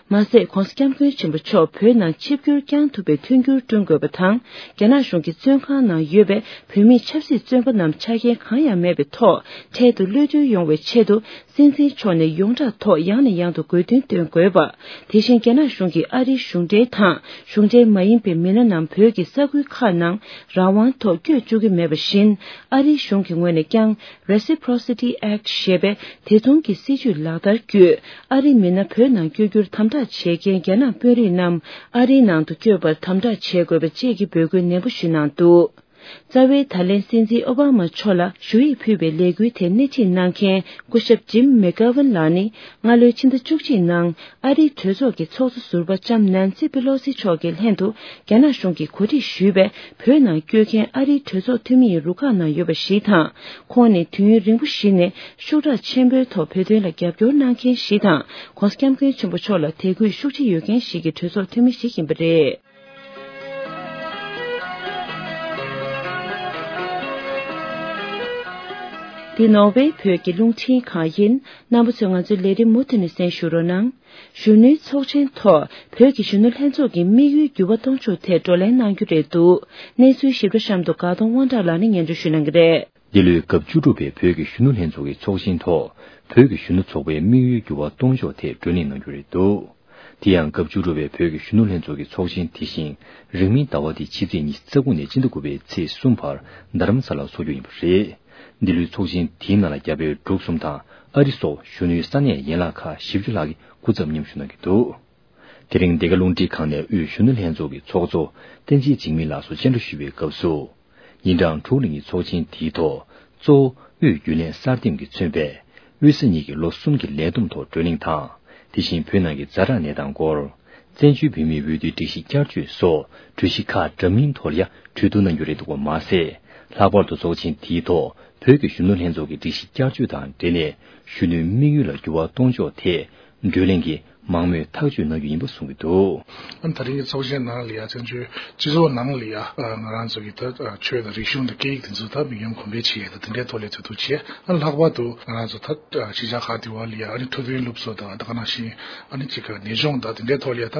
མ་ཟད། ༸གོང་ས་༸སྐྱབས་མགོན་ཆེན་པོ་མཆོག་བོད་ནང་ཆིབས་བསྒྱུར་བསྐྱང་ཐུབ་པའི་མཐུན་འགྱུར་བསྐྲུན་དགོས་པ་དང་། རྒྱ་ནག་གཞུང་གི་བཙོན་ཁང་ནང་ཡོད་པའི་བོད་མིའི་ཆབ་སྲིད་བཙོན་པ་རྣམས་ཆ་རྐྱེན་གང་ཡང་མེད་པའི་ཐོག་འཕྲལ་དུ་གློད་གྲོལ་ཡོང་བའི་ཆེད་དུ། སྲིད་འཛིན་མཆོག་ནས་ཡོངས་གྲགས་ཐོག་ཡང་ནས་ཡང་དུ་དགོས་འདུན་འདོན་དགོས་པ། དེ་བཞིན་རྒྱ་ནག་གཞུང་གིས་ཨ་རིའི་གཞུང་འབྲེལ་དང་གཞུང་འབྲེལ་མ་ཡིན་པའི་མི་སྣ་རྣམས་བོད་ཀྱི་ས་ཁུལ་ཁག་ནང་རང་དབང་ཐོག་བསྐྱོད་བཅུག་གི་མེད་པ་བཞིན། ཨ་རིའི་གཞུང་གི་ངོས་ནས་ཀྱང་Reciprocity Act ཞེས་པའི་དེ་མཚུངས་ཀྱི་སྲིད་བྱུས་ལག་བསྟར་བརྒྱུད། ཨ་རིའི་མི་སྣ་བོད་ནང་བསྐྱོད་རྒྱུར་དམ་དྲག་བྱེད་མཁན་རྒྱ་ནག་དཔོན་རིགས་རྣམས་ཨ་རིའི་ནང་དུ་བསྐྱོད་པར་དམ་དྲག་བྱེད་དགོས་པ་བཅས་ཀྱི་འབོད་སྐུལ་ནན་པོ་ཞུས་གནང་འདུག་རྩ་བའི་ད་ལན་སྲིད་འཛིན་ཨོ་བྷ་མ་མཆོག་ལ་ཞུ་ཡིག་ཕུལ་བའི་ལས་འགུལ་དེ་སྣེ་ཁྲིད་གནང་མཁན་སྐུ་ཞབས་ཇིམ་མེ་གྷ་ཝན་ལགས་ནི། སྔ་ལོའི་ཕྱི་ཟླ་བཅུ་གཅིག་ནང་ཨ་རིའི་གྲོས་ཚོགས་ཀྱི་ཚོགས་གཙོ་ཟུར་པ་ལྕམ་ནན་སི་པེ་ལོ་སི་མཆོག་གི་ལྷན་དུ་རྒྱ་ནག་གཞུང་གིས་གོ་སྒྲིག་ཞུས་པའི་བོད་ནང་བསྐྱོད་མཁན་ཨ་རིའི་གྲོས་ཚོགས་འཐུས་མི་ཡི་རུ་ཁག་ནང་ཡོད་པ་ཞིག་དང་། ཁོང་ནི་དུས་ཡུན་རིང་པོ་ཞིག་ནས་ཤུགས་དྲག་ཆེན་པོའི་ཐོག་བོད་དོན་ལ་རྒྱབ་སྐྱོར་གནང་མཁན་ཞིག་དང་། ༸གོང་ས་༸སྐྱབས་མགོན་ཆེན་པོ་མཆོག་ལ་དད་གུས་ཤུགས་ཆེ་ཡོད་མཁན་ཞིག་གི་གྲོས་ཚོགས་འཐུས་མི་ཞིག་ཡིན་པ་རེད། འདི་ནོར་ཝེ་བོད་ཀྱི་རླུང་འཕྲིན་ཁང་ཡིན། རྣམ་པ་ཚོས་ང་ཚོའི་ལས་རིམ་མུ་མཐུད་ནས་གསན་ཞུ་རོགས་གནང་། གཞོན་ནུའི་ཚོགས་ཆེན་ཐོག་བོད་ཀྱི་གཞོན་ནུ་ལྷན་ཚོགས་ཀྱི་དམིགས་ཡུལ་འགྱུར་བ་གཏོང་ཕྱོགས་ཐད་བགྲོ་གླེང་གནང་རྒྱུ་རེད་འདུག་གནས་ཚུལ་ཞིབ་ཕྲ་གཤམ་དུ་དགའ་གདོང་དབང་གྲགས་ལགས་ནས་སྙན་སྒྲོན་ཞུ་གནང་གི་རེད། འདི་ལོའི་སྐབས་བཅུ་དྲུག་པའི་བོད་ཀྱི་གཞོན་ནུ་ལྷན་ཚོགས་ཀྱི་ཚོགས་ཆེན་ཐོག་བོད་ཀྱི་གཞོན་ནུ་ཚོགས་པའི་དམིགས་ཡུལ་འགྱུར་བ་གཏོང་ཕྱོགས་ཐད་བགྲོ་གླེང་གནང་རྒྱུ་རེད་འདུག་དེ་ཡང་སྐབས་བཅུ་དྲུག་པའི་བོད་ཀྱི་གཞོན་ནུ་ལྷན་ཚོགས་ཀྱི་ཚོགས་ཆེན་དེ་བཞིན་རིང་མིན་ཟླ་བ་འདིའི་ཕྱི་ཚེས་ཉི་ཤུ་རྩ་དགུ་ནས་སྤྱི་ཟླ་དགུ་པའི་ཚེས་གསུམ་བར་རྡ་རམ་ས་ལར་འཚོགས་རྒྱུ་ཡིན་པ་རེད། འདི་ལོའི་ཚོགས་ཆེན་དེའི་ནང་ལ་རྒྱ་བལ་འབྲུག་གསུམ་དང་ཨ་རི་སོགས་གཞོན་ནུའི་ས་གནས་ཡན་ལག་ཁག་བཞི་བཅུ་ལྷག་གི་སྐུ་ཚབ་མཉམ་ཞུགས་གནང་གི་འདུག་དེ་རིང་འདི་ག་རླུང་འཕྲིན་ཁང་ནས་དབུས་གཞོན་ནུ་ལྷན་ཚོགས་ཀྱི་ཚོགས་གཙོ་བསྟན་འཛིན་འཇིགས་མེད་ལགས་སུ་སྤྱན་འདྲེན་ཞུས་པའི་སྐབས་སུ། ཉིན་གྲངས་དྲུག་རིང་གི་ཚོགས་ཆེན་དེའི་ཐོག་གཙོ་བོ་དབུས་རྒྱུན་ལས་གསར་འདེམས་ཀྱིས་མཚོན་པའི་དབུས་ས་གཉིས་ཀྱི་ལོ་གསུམ་གྱི་ལས་བསྡོམས་ཐོག་བགྲོ་གླེང་དང་། དེ་བཞིན་བོད་ནང་གི་ཛ་དྲག་གནས་སྟངས་སྐོར། བཙན་བྱོལ་བོད་མིའི་འོས་བསྡུའི་སྒྲིག་གཞི་བསྐྱར་བཅོས་སོགས་གྲོས་གཞི་ཁག་འདྲ་མིན་ཐོག་ལ་ཡང་གྲོས་བསྡུར་གནང་རྒྱུ་རེད་འདུག་པ་མ་ཟད། ལྷག་པར་དུ་ཚོགས་ཆེན་དེའི་ཐོག་བོད་ཀྱི་གཞོན་ནུ་ལྷན་ཚོགས་ཀྱི་སྒྲིག་གཞི་བསྐྱར་བཅོས་དང་འབྲེལ་ནས་གཞོན་ནུའི་དམིགས་ཡུལ་ལ་འགྱུར་བ་གཏོང་ཕྱོགས་ཐད་བགྲོ་གླེང་གིས་མང་མོས་ཐག་གཅོད་གནང་རྒྱུ་ཡིན་པ་གསུངས་ཀྱི་འདུག་ཨ་ནི་ད་རིང་གི་ཚོགས་ཆེན་ནང་ལ་ཡ་བཙན་བྱོལ་སྤྱི་ཚོགས་ནང་ལ་ཡ་ང་རང་ཚོ་གི་ད་ཆོས་དང་རིག་གཞུང་དང་སྐད་ཡིག་དེ་ཚོ་ད་མི་ཉམས་གོང་འཕེལ་བྱེད་ཡ་ད་དེ་འདྲའི་ཐོག་ལ་ཚོད་ལྟ་བྱས། ཨ་ནི་ལྷག་པར་དུ་ང་རང་ཚོ་ད་གཞིས་ཆགས་ཁག་དེ་བ་ལ་ཡ་ཨ་ནི་འཕྲོད་བསྟེན་སློབ་གསོ་དང་ད་ག་ནང་བཞིན་ཨ་ནི་ཅིག་ག་ནད་གཞུང་དང་དེ་འདྲའི་ཐོག་ལ་ཡ་ད་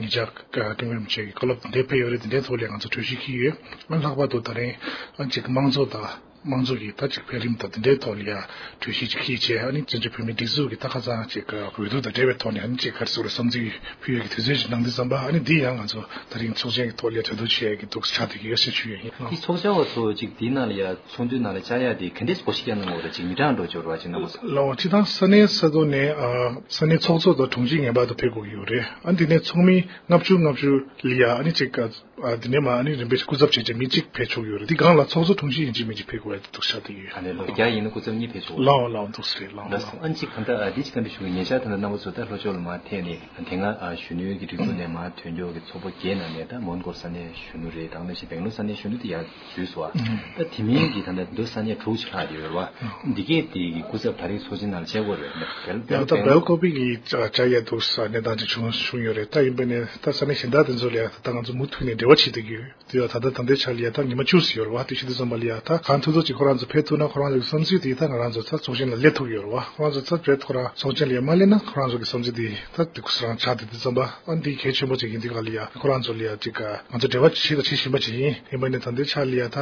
ཉེ་ཆར་ཀྲུང་གོའི་རིན་པོ་ཆེ་གི་བཀའ་སློབ་དེ་འདྲའི་ཕེབས་ཡོད་རེད། དེ་འདྲའི་ཐོག་ལ་ཡ་ང་ཚོ་གྲོས་གཞི་འཁྱེར་ཡོད། ཨ་ནི་ལྷག་པར་དུ་ད་རིང་ཨ་ནི་ཅིག་དམངས་གཙོ་དང་ དམངས་གཙོ་གི་ད་ཅིག་འཕེལ་རིམ་དང་དེ་འདྲའི་ཐོག་ལ་ཡ་གྲོས་གཞི་ཅིག་ཁྱེར་བྱས། ཨ་ནི་བཙན་བྱོལ་བོད་མིའི་སྒྲིག་འཛུགས་ཀྱི་ད་ཁ་སང་ཅིག་འོས་བསྡུ་དང་འབྲེལ་བའི་ཐོག་ནས་ཨ་ནི་ཅིག་ག་རེ་ཟེར་དགོས་རེད། བསམ་ཚུལ་ཕུལ་ཡས་ཀྱི་དུས་ཚོད་ཅིག་གནང་དུས་ཙམ་པ། ཨ་ནི་འདི་ཡང་ང་ཚོ་ད་རིང་ཚོགས་ཆེན་གྱི་ཐོག་ལ་ཡ་གྲོས་བསྡུར་བྱེད་ཡས་ཀྱི་འདུག་ཆགས་བསྡད་ཀྱི་ཡོད་ཟེར་ཞུ་ཡས་ཡིན། དེ་ཚོགས་བཅར་བ་ཚོ་ཅིག་དེའི་ནང་ལ་ཡ་ཚོགས་འདུའི་ནང་ལ་བཅར་ཡ་དེ་ག་འདྲས་སེ་གོ་སྐབས་བསྐྱལ་གནང་དགོས་རེད། ཅིག་མི་གྲངས་འགྲོ་འབྱོར་བ་ཅིག་གནང་དགོས་སོང་། ལགས་འོང་། སྤྱིར་བཏང་ས་གནས་ས་ཐོག་ནས་ཨ་ས་གནས་ཚོགས་གཙོ་དང་དྲུང་ཆེ་ངེས་པར་དུ་ཕེབས་དགོས་ཀྱི་ཡོད་རེད། ཨ་ནི་དེ་ནས་ཚོགས་མི་ལྔ་བཅུ་ལྔ་བཅུ་ལ་ཡ་ཨ་ནི་ཅིག་ཨ་དེ་ནས་མ་ཨ་ནི་རིམ་པས་སྐུ་ཚབ་བྱས་བྱས་མི་གཅིག་ཕེབས་ཆོག་གི་ཡོད་རེད། དེ་སྒང་ལ་ཚོགས་གཙོ་དྲུང་ཆེ་ཡིན་གཅིག་མིན་གཅིག་ཕེབས་དགོས་ཡ་དེ་འདུག་ཆགས་བསྡད་ཡོད། ཨ་ནི་ལོ་བརྒྱ་ཡིན་ན་སྐུ་ཚབ་གཉིས་ཕེབས་ཆོག་གི་ཡོད། ལགས་འོང་། ལགས་འོང་། འདུག་སེ་རེད། ལགས་འོང་། ལགས་སོ། ཨ་ནི་གཅིག་ད་ལྟ་ཨ་འདི་གཅིག་ག་འདྲ་ཞུ་གི། ཉེ་ཆར་ད་ལྟ་རྣམ་པ་ཚོ་ད་ལྷོ་ཕྱོགས་ལ་མར་ཐད་ནས་དེ་སྔ་ཨ་གཞོན་ནུའི་གི་སྒྲིག་འཛུགས་ནས་མར་ཐོན་མཁན་གྱི་ཚོགས་པ་བརྒྱད་ནང་ནས་ད་མོན་གྷོ་ས་གནས་གཞོན་ནུ་རེད། དེ་ནང་བཞིན་སྦེང་ལོར་ས་གནས་གཞོན་ནུ་དེ་ཡར་འཛུལ་སོང་བ། ད་དེ་མིན་གྱི་ད་ལྟ་མདོ་ས་གནས་དྲུག་ཅིག་ལྷག་ཡོད་རེད་བ། འདི་གས་དེ་གི་སྐུ་ཚབ་ད་རེས་ཚོགས་ཆེན་ནང་ལ་བྱེད་དགོས་རེད། ད་ལྟ་སྦེང་ལོར་ཀོ་པི་གི་བཅར་ཡ་འདུག་ས་གནས་སྟངས་ཅིག་བྱུང་བྱུང་ཡོད་རེད། ད་ཡིན་པ་ནས་ད་ས་གནས་གཞན་དག་དེ་ཚོ་ལ་ཡ་ད་ལྟ་ང་ཚོ་མུ་མཐུད་ནས་འབྲེལ་བ་བྱེད་བསྡད་ཀྱི་ཡོད། དེ་ཡང་ད་ལྟ་ད་ལྟའི་ཆ་ལ་ཡ་ད་ཉི་མ་བཅུ་ཙམ་ཡོད་རེད་བ། དེ་བྱེད་དུས་ཙམ་པ་ལ་ཡ་ད་གང་ཐུབ་ཐུབ་ཅིག་ཁོ་རང་ཚོ་ཕེབས་ཐུབ་ན་ཁོ་རང་ཚོ་གི་བསམ་ཚུལ་དེ་ད་ང་རང་ཚོ་ད་ཚོགས་ཆེན་ལ་སླེབས་ཐུབ་ཀྱི་ཡོད་རེད་བ། ཁོ་རང་ཚོ་ད་བྱས་ཁོ་རང་ཚོགས་ཆེན་ལ་ཡ་མ་སླེབས་ན་ཁོ་རང་ཚོ་གི་བསམ་ཚུལ་དེ་ད་དེ་ཁོ་རང་ཆགས་བསྡད་དུས་ཙམ་པ། ཨ་འདི་གལ་ཆེན་པོ་ཅིག་ཡིན་དུས་ག་ལ་ཡ་ཁོ་རང་ཚོ་ལ་ཡ་ཅིག་ང་ཚོ་འབྲེལ་བ་བྱེད་དང་བྱེད་བཞིན་པ་ཅིག་ཡིན། ཡིན་པ་ནས་ད་ལྟའི་ཆ་ལ་ཡ་ད་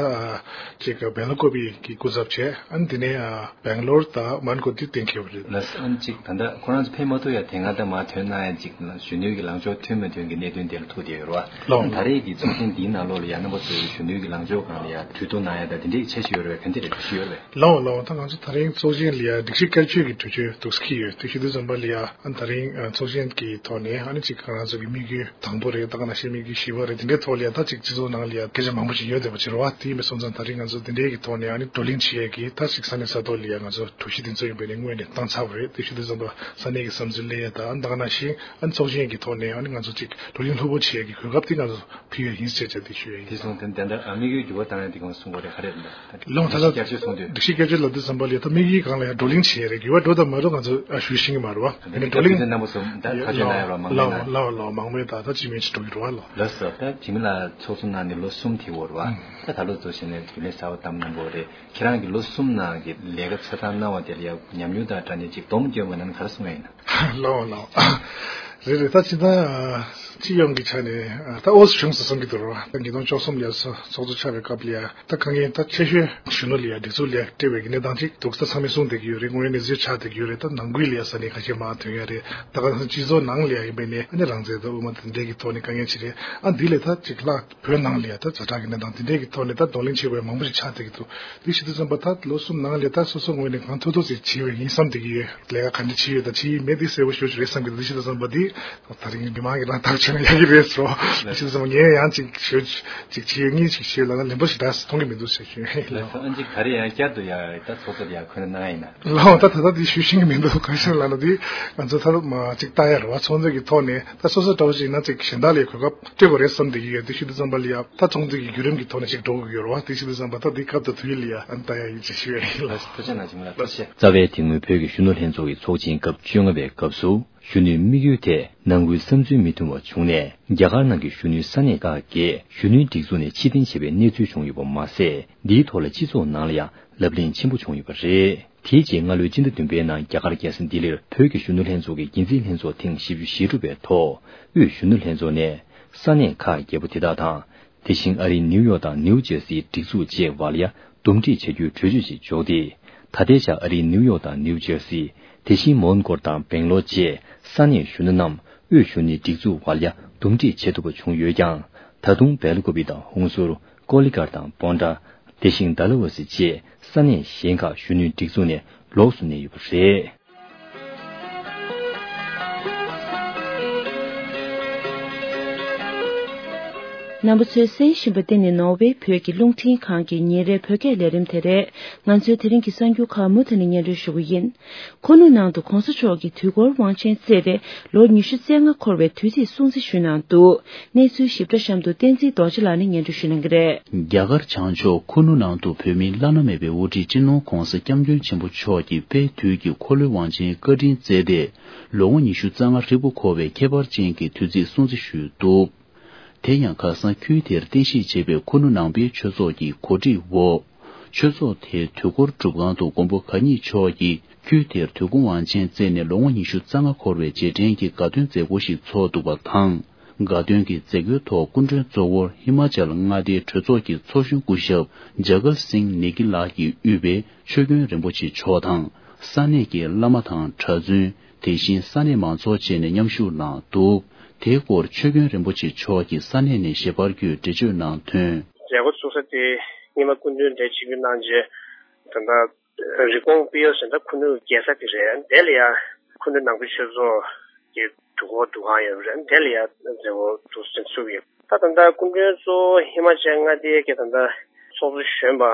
ཅིག་སྦེང་ལོར་ཀོ་པི་གི་སྐུ་ཚབ་བྱས། ཨ་འདི་ནས་སྦེང་ལོར་དང་མོན་གྷོ་དེ་གཏན་འཁེལ་བ་རེད། ལགས་སོ། ཨ་ནི་གཅིག་ད་ལྟ་ཁོ་རང་ཚོ་ཕེབས་མ་ཐུབ་ཡ་དེ་སྔ་ད་མར་ཐོན་གནང་ཡ་གཅིག་གཞོན་ནུའི་གི་ལངས་ཕྱོགས་མཐུན་མི་མཐུན་གྱི་གནད་དོན་དེ་ལ་ཐུག་བསྡད་ཡོད་རེད་བ། ལགས། ད་རེས་ཀྱི་ཚོགས་ཆེན་འདིའི་ནང་ལོགས་ལ་ཡ་རྣམ་པ་ཚོས་གཞོན་ནུའི་གི་ལངས་ཕྱོགས་སྒང་ལ་ཡ་གྲོས་བསྡུར་གནང་ཡ་ད་དེ་འདྲའི་འཆར་གཞི་ཡོད་རེད་བས། ག་འདྲ་རེད། གྲོས་གཞི་ཡོད་རེད་བས། ལགས་འོང་། ལགས་འོང་། ད་ང་ཚོ་ད་རིང་ཚོགས་ཆེན་ལ་ཡ་སྒྲིག་གཞི་བཀོལ་སྤྱོད་ཀྱི་གྲོས་ཆོད་འདུག་སེ་འཁྱེར་ཡོད། དེ་བྱེད་དུས་ཙམ་པ་ལ་ཡ་ཨ་ད་རིང་ཚོགས་ཆེན་གྱི་ཐོག་ནས་ཨ་ནི་གཅིག་ང་རང་ཚོ་གི་དམིགས་ཡུལ་དང་པོ་རེད། ད་ག་ནང་བཞིན་དམིགས་ཡུལ་བཞི་པ་རེད། དེ་འདྲའི་ཐོག་ལ་ཡ་ད་གཅིག་སྤྱི་ཚོགས་ནང་ལ་ཡ་སྐད་ཆ་མང་པོ་ཞིག་ཡོད་བསྡད་པ་ཅིག་རེད་བ། དེ་ཡིན་པ་སོང་ཙང་ད་རིང་ང་ཚོ་དེ་འདྲའི་གི་ཐོག་ནས་ཨ་ནི་བགྲོ་གླེང་བྱེད་ཡས་ཀྱི་ད་གཅིག་ས་གནས་ས་ཐོག་ལ་ཡ་ང་ཚོ་གྲོས་གཞི་དེ་ཚོ་ཡིན་པ་ནས་སྔོན་ནས་བཏང་ཚར་བ་རེད། དེ་བྱེད་དུས་ཙམ་པ་ས་གནས་ཀྱི་བསམ་ཚུལ་གླེང་ཡས་དང་ད་ག་ནང་བཞིན་ཨ་ནི་ཚོགས་ཆེན་གྱི་ཐོག་ནས་ཨ་ནི་ང་ཚོ་གཅིག་བགྲོ་གླེང་ལྷུག་པོ་བྱེད་ཡས་ཀྱི་གོ་སྐབས་དེ་ང་ཚོ་ཕུལ་ཡས་ཡིན་ཟེར་བྱས་དེ་ཞུ་ཡས་ཡིན། དེ་སོང་ཙང་ད་ལྟ་ཨ་དམིགས་ཡུལ་འགྱུར་བ་བཏང་ཡ་དེ་གང་གསུང་དགོས་རེད། ག་རེ་རེད་ད། ལགས་འོང་། ད་ལྟ་སྒྲིག་གཞི་བཀོད་སྤྱོད་ལབ་དུས་ཙམ་པ་ལ་ད་དམིགས་ཡུལ་སྒང་ལ་ཡང་བགྲོ་གླེང་བྱེད་ཡ་རེད། འགྱུར་བ་འགྲོ་དང་མ་འགྲོ་ང་ཚོ་ཨ་ཞུ་ཤེས་ཀྱི་མ་རེད་བ། ད་ནི་བགྲོ་གླེང་རྣམ་པ་ཚོ་ད་ཁ་ཆོད་གནང་ཡ་རོགས་མང་མོས་ད་ད་ཅི་མིན་ཅི་འགྲོ་གི་རེད་བ། ལགས། ལགས་སོ། ད་འཇིགས་མེད་ལགས་ཚོགས་གཙོ་གནང་ནས་ལོ་གསུམ་དེ་འགོར་བ། ད་ད་ལོ་ཚོགས་ཆེན་ནས་རྒྱུན་ལས་གསར་པ་བདམས་གནང་པོ་རེད། ཁྱེད་རང་གི་ལོ་གསུམ་ནང་གི་ལས་ཀ་ཆ་ཚང་གནང་བ་དེ་ལ་ཡ་ཉམས་མྱོང་དང་སྦྲགས་ནས་ཅིག་སྡོམ་སྐྱོན་མ་གནང་ན་ག་རེ་གསུང་ཡ་ཡིན་ན། ལགས་འོང་། ལགས་འོང་། རེད་རེད། ད་ཅི་ད་སྤྱི་ཡོངས་ཀྱི་ཆ་ནས་ད་ཨོ་བྱུང་སོང་བསམ་གྱི་འདུག་རོ། ད་ཉིས་སྟོང་བཅུ་གསུམ་ལ་ཚོགས་གཙོ་ཆགས་པའི་སྐབས་ལ་ཡ་ད་དཀའ་ངལ་ད་ཆེ་ཤོས་གཞོན་ནུ་ལ་ཡ་སྒྲིག་འཛུགས་ལ་ཡ་སྤྲད་པའི་གནས་སྟངས་ཅིག་འདུག་ད་ཚང་མས་གསུངས་བསྡད་ཀྱི་ཡོད་རེད། དངོས་ཡོད་གནས་ཚུལ་ཆགས་བསྡད་ཀྱི་ཡོད་རེད། ད་ནང་ཁུལ་ལ་ཡ་ས་གནས་ཁ་ཤས་མང་ཐོན་ཡ་རེད། ད་ག་སྤྱི་ཚོགས་ནང་ལ་ཡ་ཡིན་པས་ནས་ཨ་ནི་རང་བཙན་དང་དབུ་མ་དང་འདྲེས་ཀྱི་ཐོག་ནས་དཀའ་ངལ་ཅིག་རེད། ཨ་འདི་ལས་ད་ཅིག་ལྷག་བོད་ནང་ལ་ཡ་ད་ཛ་དྲག་གི་གནས་སྟངས་དེ་འདྲས་ཀྱི་ཐོག་ནས་ད་གདོང་ལེན་བྱེད་དགོས་མང་པོ་ཞིག་ཆགས་བསྡད་ཀྱི་འདུག་དེ་བྱེད་དུས་ཙམ་པ་ད་ལོ་གསུམ་ནང་ལས་ད་སོ་སོ་ངོས་ནས་གང་ཐུབ་ཐུབ་ཅིག་བྱེད་འོས་ཡིན་བསམ་བསྡད་ཀྱི་ཡོད། ལས་ཀ་ག་འདྲ་བྱེད་ཡོད་དང་བྱེད་ཡོད་མེད་དེ་གསལ་པོ་ཞེ་པོ་ཅིག་རེད་བསམ་གྱི་འདུག་དེ་བྱེད་དུས་ཙམ་པ་དེ་ད་རིང་མི་མང་གིས་རང་ཐག་ཆོད་ན་ཡག་གི་རེད་ཟེར་རོ། དེ་བྱེད་དུས་ཙམ་པ་ངས་ཡང་ཅིག་ཞེ་པོ་ཅིག་བྱེད་ཡོད་ངས་ཅིག་བྱེད་ཡོད་ལབ་ན་ལན་པོ་ཞིག་འདྲ་མཐོང་གི་མི་འདུག་ཟེར་ཞུ་ཡ་ཡིན། ལགས་སོ། ཨ་ཅེ་ག་རེ་ཡང་བསྐྱར་དུ་ཡང་ད་ཚོགས་གཙོ་ལ་ཡང་འཁོད་ན་གནང་ཡིན་ན། ལགས་འོང་། ད་ད་ལྟ་དེ་ཞུ་ཤེས་ཀྱི་མི་འདུག་གང་ཞིག་ལབ་ན་དེ་ང་ཚོ་ད་མ་ཅིག་ལྟ་ཡ་རེད་བ། ཚོགས་འདུ་གི་ཐོག་ནས་ད་སོ་སོ་འདྲ་བོ་ཅིག་ཡིན་ན་ཅིག་གཞན་དག་ལ་གོ་སྐབས་སྤྲད་དགོས་རེད་བསམ་བསྡད་ཀྱི་ཡོད། དེ་བྱེད་དུས་ཙམ་པ་ལ་ཡ་ད་ཚོགས་འདུ་གི་བརྒྱུད་རིམ་གྱི་ཐོག་ནས་ཅིག་འགྲོ་དགོས་ཀྱི་ཡོད་རེད་བ། དེ་བྱེད་དུས་ཙམ་པ་ད་དེ་སྐབས་དང་དུས་ལ་ཡ་ཨ་ནི་ལྟ་ཡ་ཡིན་ཅེས་ཞུ་ཡ་ཡིན། ལགས་སོ། ཐུགས་རྗེ་གནང་། ཇིམ་ལགས་ཐུགས་རྗེ་ཆེ། རྩ་བའི་དེ་སྔོན་བོད་ཀྱི་གཞོན་ནུ་ལྷན་ཚོགས་ཀྱི་ཚོགས་ཆེན་སྐབས་བཅོ་ལྔ་པའི་སྐབས་སུ་གཞོན་ནུའི་དམིགས་ཡུལ་དེ་ནང་ཁུལ་བསམ་ཚུལ་མི་མཐུན་པ་བྱུང་ནས་རྒྱ་གར་ནང་གི་གཞོན་ནུའི་ས་གནས་ཁག་གིས་གཞོན་ནུའི་སྒྲིག་འཛུགས་ནས་ཕྱིར་འཐེན་བྱས་པའི་གནས་ཚུལ་བྱུང་ཡོད་པ་མ་ཟད། འདིའི་ཐོག་ལ་སྤྱི་ཚོགས་ནང་ལ་ཡང་ལབ་གླེང་ཆེན་པོ་བྱུང་ཡོད་པ་རེད། དེའི་རྗེས་སྔ་ལོའི་སྤྱི་ཟླ་བདུན་པའི་ནང་རྒྱ་གར་རྒྱལ་ས་ལྡི་ལིར་བོད་ཀྱི་གཞོན་ནུ་ལྷན་ཚོགས་ཀྱི་འགན་འཛིན་ལྷན་ཚོགས་ཐེངས་བཞི་བཅུ་ཞེ་དྲུག་པའི་ཐོག་དབུས་གཞོན་ནུ་ལྷན་ཚོགས་ནས་ས་གནས་ཁག་བརྒྱད་པོ་དེ་དག་དང་། དེ་བཞིན་ཨ་རིའི་ནིའུ་ཡོག་དང་ནིའུ་ཇར་སིའི་སྒྲིག་འཛུགས་བཅས་བར་ལ་ཡང་འདུམ་འགྲིག་བྱ་རྒྱུའི་གྲོས་ཆོད་ཅིག་འཇོག་སྟེ། ད་ལྟའི་ཆར་ཨ་རིའི་ནིའུ་ཡོག་དང་ནིའུ་ཇར་སི། དེ་བཞིན་མོན་གྷོ་དང་སྦེང་ལོར་བཅས་ས་གནས་གཞོན་ནུ་རྣམས་དབུས་གཞོན་ནུའི་སྒྲིག་འཛུགས་བར་ལ་ཡང་འདུམ་འགྲིག་བྱེད་ཐུབ་པ་བྱུང་ཡོད་ཀྱང་། ད་དུང་སྦེལ་ཀོབ་པི་དང་ཧུན་སུར། ཀོ་ལི་གྷལ་དང་པོན་ཀྲ། དེ་བཞིན་ཌལ་ཧོ་སི་བཅས་ས་གནས་གཞན་ཁག་གཞོན་ནུའི་སྒྲིག་འཛུགས་ནས་ལོགས་སུ་གནས་ཡོད་པ་རེད། རྣམ་པ་ཚོས་གསན་བཞིན་པ་འདི་ནི་ནོར་ཝེ་བོད་ཀྱི་རླུང་འཕྲིན་ཁང་གི་ཉིན་རེའི་བོད་སྐད་ལས་རིམ་དེ་རེད། ང་ཚོའི་དེ་རིང་གི་གསར་འགྱུར་ཁག་མུ་མཐུད་ནས་སྙན་སྒྲོན་ཞུ་གི་ཡིན། ཁུ་ནུ་ནང་དུ་གོང་ས་མཆོག་གིས་དུས་འཁོར་དབང་ཆེན་བསྩལ་ཏེ་ལོ་ཉི་ཤུ་རྩ་ལྔ་འཁོར་བའི་དུས་ཚིགས་སྲུང་བརྩི་ཞུས་གནང་འདུག་གནས་ཚུལ་ཞིབ་ཕྲ་གཤམ་དུ་བསྟན་འཛིན་རྡོ་རྗེ་ལགས་ནས་སྙན་སྒྲོན་ཞུ་གནང་གི་རེད། རྒྱ་གར་བྱང་ཕྱོགས་ཁུ་ནུ་ནང་དུ་བོད་མིའི་བླ་ན་མེད་པའི་དབུ་ཁྲིད་སྤྱི་ནོར་༧གོང་ས་༧སྐྱབས་མགོན་ཆེན་པོ་མཆོག་གིས་དཔལ་དུས་ཀྱི་འཁོར་ལོའི་དབང་ཆེན་བཀའ་དྲིན་བསྩལ་ཏེ་ལོ་ངོ་ཉི་ཤུ་རྩ་ལྔ་ཧྲིལ་པོ་འཁོར་བའི་ཁྱད་པར་ཅན་གྱི་དུས་ཚིགས་སྲུང་བརྩི་ཞུས་འདུག་དེ་ཡང་ཁ་སང་ཁུལ་དེར་རྟེན་གཞི་བྱས་པའི་ཁུ་ནུ་ནང་པའི་ཆོས་ཚོགས་ཀྱི་གོ་སྒྲིག་འོག་ཆོས་ཚོགས་དེའི་དུས་འཁོར་སྒྲུབ་ཁང་དུ་མགོན་པོ་གང་ཉིད་མཆོག་གིས་ཁུལ་དེར་དུས་འཁོར་དབང་ཆེན་བསྩལ་ནས་ལོ་ངོ་ཉི་ཤུ་རྩ་ལྔ་འཁོར་བའི་རྗེས་དྲན་གྱི་དགའ་སྟོན་མཛད་སྒོ་ཞིག་ཚོགས་འདུག་པ་དང་། དགའ་སྟོན་གྱི་མཛད་སྒོའི་ཐོག་སྐུ་མགྲོན་གཙོ་བོར་ཧི་མ་ཅལ་མངའ་སྡེའི་གྲོས་ཚོགས་ཀྱི་ཚོགས་གཞོན་སྐུ་ཞབས་ཇ་གར་སིང་ནེ་གི་ལགས་ཀྱིས་དབུས་པའི་ཆོས་དགོན་རིན་པོ་ཆེ་མཆོག་དང་། ས་གནས་ཀྱི་བླ་མ་དང་གྲྭ་བཙུན། དེ་བཞིན་ས་གནས་མང་ཚོགས་བཅས་ནས་མཉམ་ཞུགས་གནང་འདུག་དེའི་སྐོར་ཆོས་དགོན་རིན་པོ་ཆེ་མཆོག་གིས་ས་གནས་ནས་ཞལ་པར་བརྒྱུད་འགྲེལ་བརྗོད་གནང་དོན། མཛད་སྒོ་ཚུགས་ས་དེ་རྙིང་མ་སྐུ་མདུན་གདན་ཆེན་པོའི་གནང་རྗེས་ད་ལྟ་རི་ཀོན་པིའོ་ཟེར་ད་ཁུ་ནུ་རྒྱལ་ས་དེ་རེད། དེ་ལ་ཡ་ཁུ་ནུ་ནང་པའི་ཆོས་ཚོགས་ཀྱི་འདུ་སྐོར་འདུ་ཁང་ཡོད་པ་རེད། དེ་ལ་ཡ་མཛད་སྒོ་འདུ་འཛིན་ཚུགས་ཡོད། ད་ད་ལྟ་སྐུ་མགྲོན་གཙོ་བོ་ཧི་མ་ཅལ་མངའ་སྡེའི་གི་ད་ལྟ་ཚོགས་གཙོ་གཞོན་པ་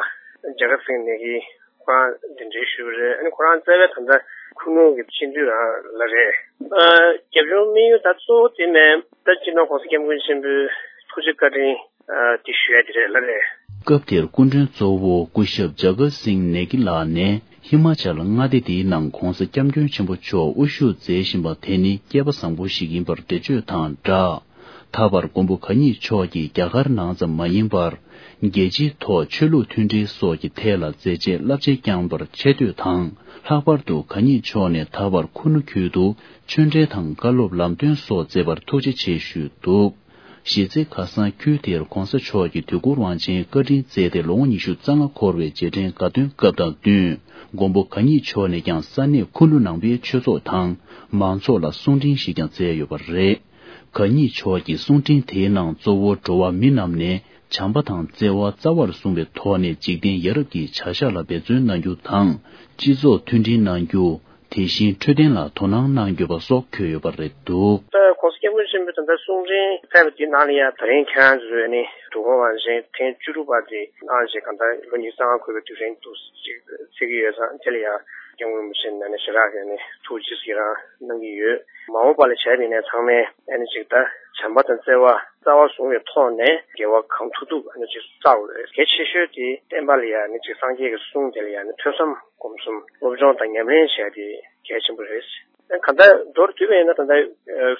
ཇ་གར་སིང་ནེ་གི་ཁོ་རང་གདན་འདྲེན་ཞུས་པ་རེད། ཨ་ནི་ཁོ་རང་རྩ་བའི་ད་ལྟ་ཁུ་ནུ་གི་སྤྱི་འཐུས་རང་ལ་རེད། ཨ་རྒྱབ་ལྗོངས་དམིགས་ཡུལ་ད་གཙོ་བོ་དེ་ནས་ད་སྤྱི་ནོར་༸གོང་ས་༸སྐྱབས་མགོན་ཆེན་པོའི་ཐུགས་རྗེ་བཀའ་དྲིན་ཨ་དེ་ཞུ་ཡ་དེ་རེད་ལ་རེད། སྐབས་དེར་སྐུ་མགྲོན་གཙོ་བོ་སྐུ་ཞབས་ཇ་གར་སིང་ནེ་གི་ལགས་ནས་ཧི་མ་ཅལ་མངའ་སྡེ་དེའི་ནང་༸གོང་ས་༸སྐྱབས་མགོན་ཆེན་པོ་མཆོག་དབུ་བཞུགས་མཛད་བཞིན་པ་དེ་ནི་སྐལ་པ་བཟང་པོ་ཞིག་ཡིན་པར་འགྲེལ་བརྗོད་དང་སྦྲགས། ད་བར་མགོན་པོ་གང་ཉིད་མཆོག་གིས་རྒྱ་གར་ནང་ཙམ་མ་ཡིན་པར། རྒྱལ་སྤྱིའི་ཐོག་ཆོས་ལུགས་མཐུན་སྒྲིལ་སོགས་ཀྱི་ཐད་ལ་མཛད་རྗེས་རླབས་ཆེན་བསྐྱངས་པར་ཆེ་བསྟོད་དང་། ལྷག་པར་དུ་གང་ཉིད་མཆོག་ནས་ད་བར་ཁུ་ནུ་ཁུལ་དུ་ཆོས་འབྲེལ་དང་བཀའ་སློབ་ལམ་སྟོན་སོགས་མཛད་པར་ཐུགས་རྗེ་ཆེ་ཞུས་འདུག་གཞི་རྩའི་ཁ་སང་ཁུལ་དེར་༸གོང་ས་མཆོག་གིས་དུས་འཁོར་དབང་ཆེན་བཀའ་དྲིན་སྩལ་ཏེ་ལོ་ངོ་ཉི་ཤུ་རྩ་ལྔ་འཁོར་བའི་རྗེས་དྲན་དགའ་སྟོན་སྐབས་དང་བསྟུན། མགོན་པོ་གང་ཉིད་མཆོག་ནས་ཀྱང་ས་གནས་ཁུ་ནུ་ནང་པའི་ཆོས་ཚོགས་དང་མང་ཚོགས་ལ་གསུང་འཕྲིན་ཞིག་ཀྱང་སྩལ་ཡོད་པ་རེད། གང་ཉིད་མཆོག་གི་གསུང་འཕྲིན་དེའི་ནང་གཙོ་བོ་འགྲོ་བ་མི་རྣམས་ནས་བྱམས་པ་དང་བརྩེ་བ་རྩ་བར་བཟུང་བའི་ཐོག་ནས་འཇིག་རྟེན་ཡ་རབས་ཀྱི་བྱ་གཞག་ལ་འབད་བརྩོན་གནང་རྒྱུ་དང་། སྤྱི་ཚོགས་མཐུན་སྒྲིལ་གནང་རྒྱུ། དེ་བཞིན་འཕྲོད་བསྟེན་ལ་དོ་སྣང་གནང་དགོས་པ་སོགས་འཁོད་ཡོད་པ་རེད་འདུག་ད་༸གོང་ས་༸སྐྱབས་མགོན་ཆེན་པོས་ད་ལྟ་གསུང་འཕྲིན་ཕེབས་པ་དེའི་ནང་ལ་ཡང་ད་རིང་ཁྱེད་རང་ཚོས་ནི་དུས་འཁོར་དབང་ཆེན་ཐེངས་བཅུ་དྲུག་པ་དེ་གནང་རྗེས་གང་ལྟར་ལོ་ཉི་ཤུ་རྩ་ལྔ་འཁོར་བའི་དུས་དྲན་དུ་ཅིག་བརྩི་གི་ཡོད་ཙང་། དེ་ལ་ཡང་སྐྱབས་མགོན་རིན་པོ་ཆེ་ནས་ནི་ཞེ་དྲག་གི་ནི་ཐུགས་རྗེ་ཆེ་རང་གནང་གི་ཡོད། མ་འོངས་པ་ལ་བྱས་པ་ཡིན་ནའི་ཚང་མས་ཨ་ནི་ཅིག་ད་བྱམས་པ་དང་བརྩེ་བ་རྩ་བ་བཟུང་བའི་ཐོག་ནས་དགེ་བ་གང་ཐུབ་ཐུབ་ཨ་ནི་ཅིག་བསགས་དགོས། གལ་ཆེ་ཤོས་དེ་བསྟན་པ་ལ་ཡང་ནི་ཅིག་སངས་རྒྱས་ཀྱི་གསུང་དེ་ལ་ཡང་ནི་ཐོས་བསམ་སྒོམ་གསུམ་སློབ་སྦྱོང་དང་ཉམས་ལེན་བྱས་ཏེ་གལ་ཆེན་པོ་རེད། གང་ལྟར་མདོར་བསྡུས་པ་ཡིན་ན་ད་ལྟ་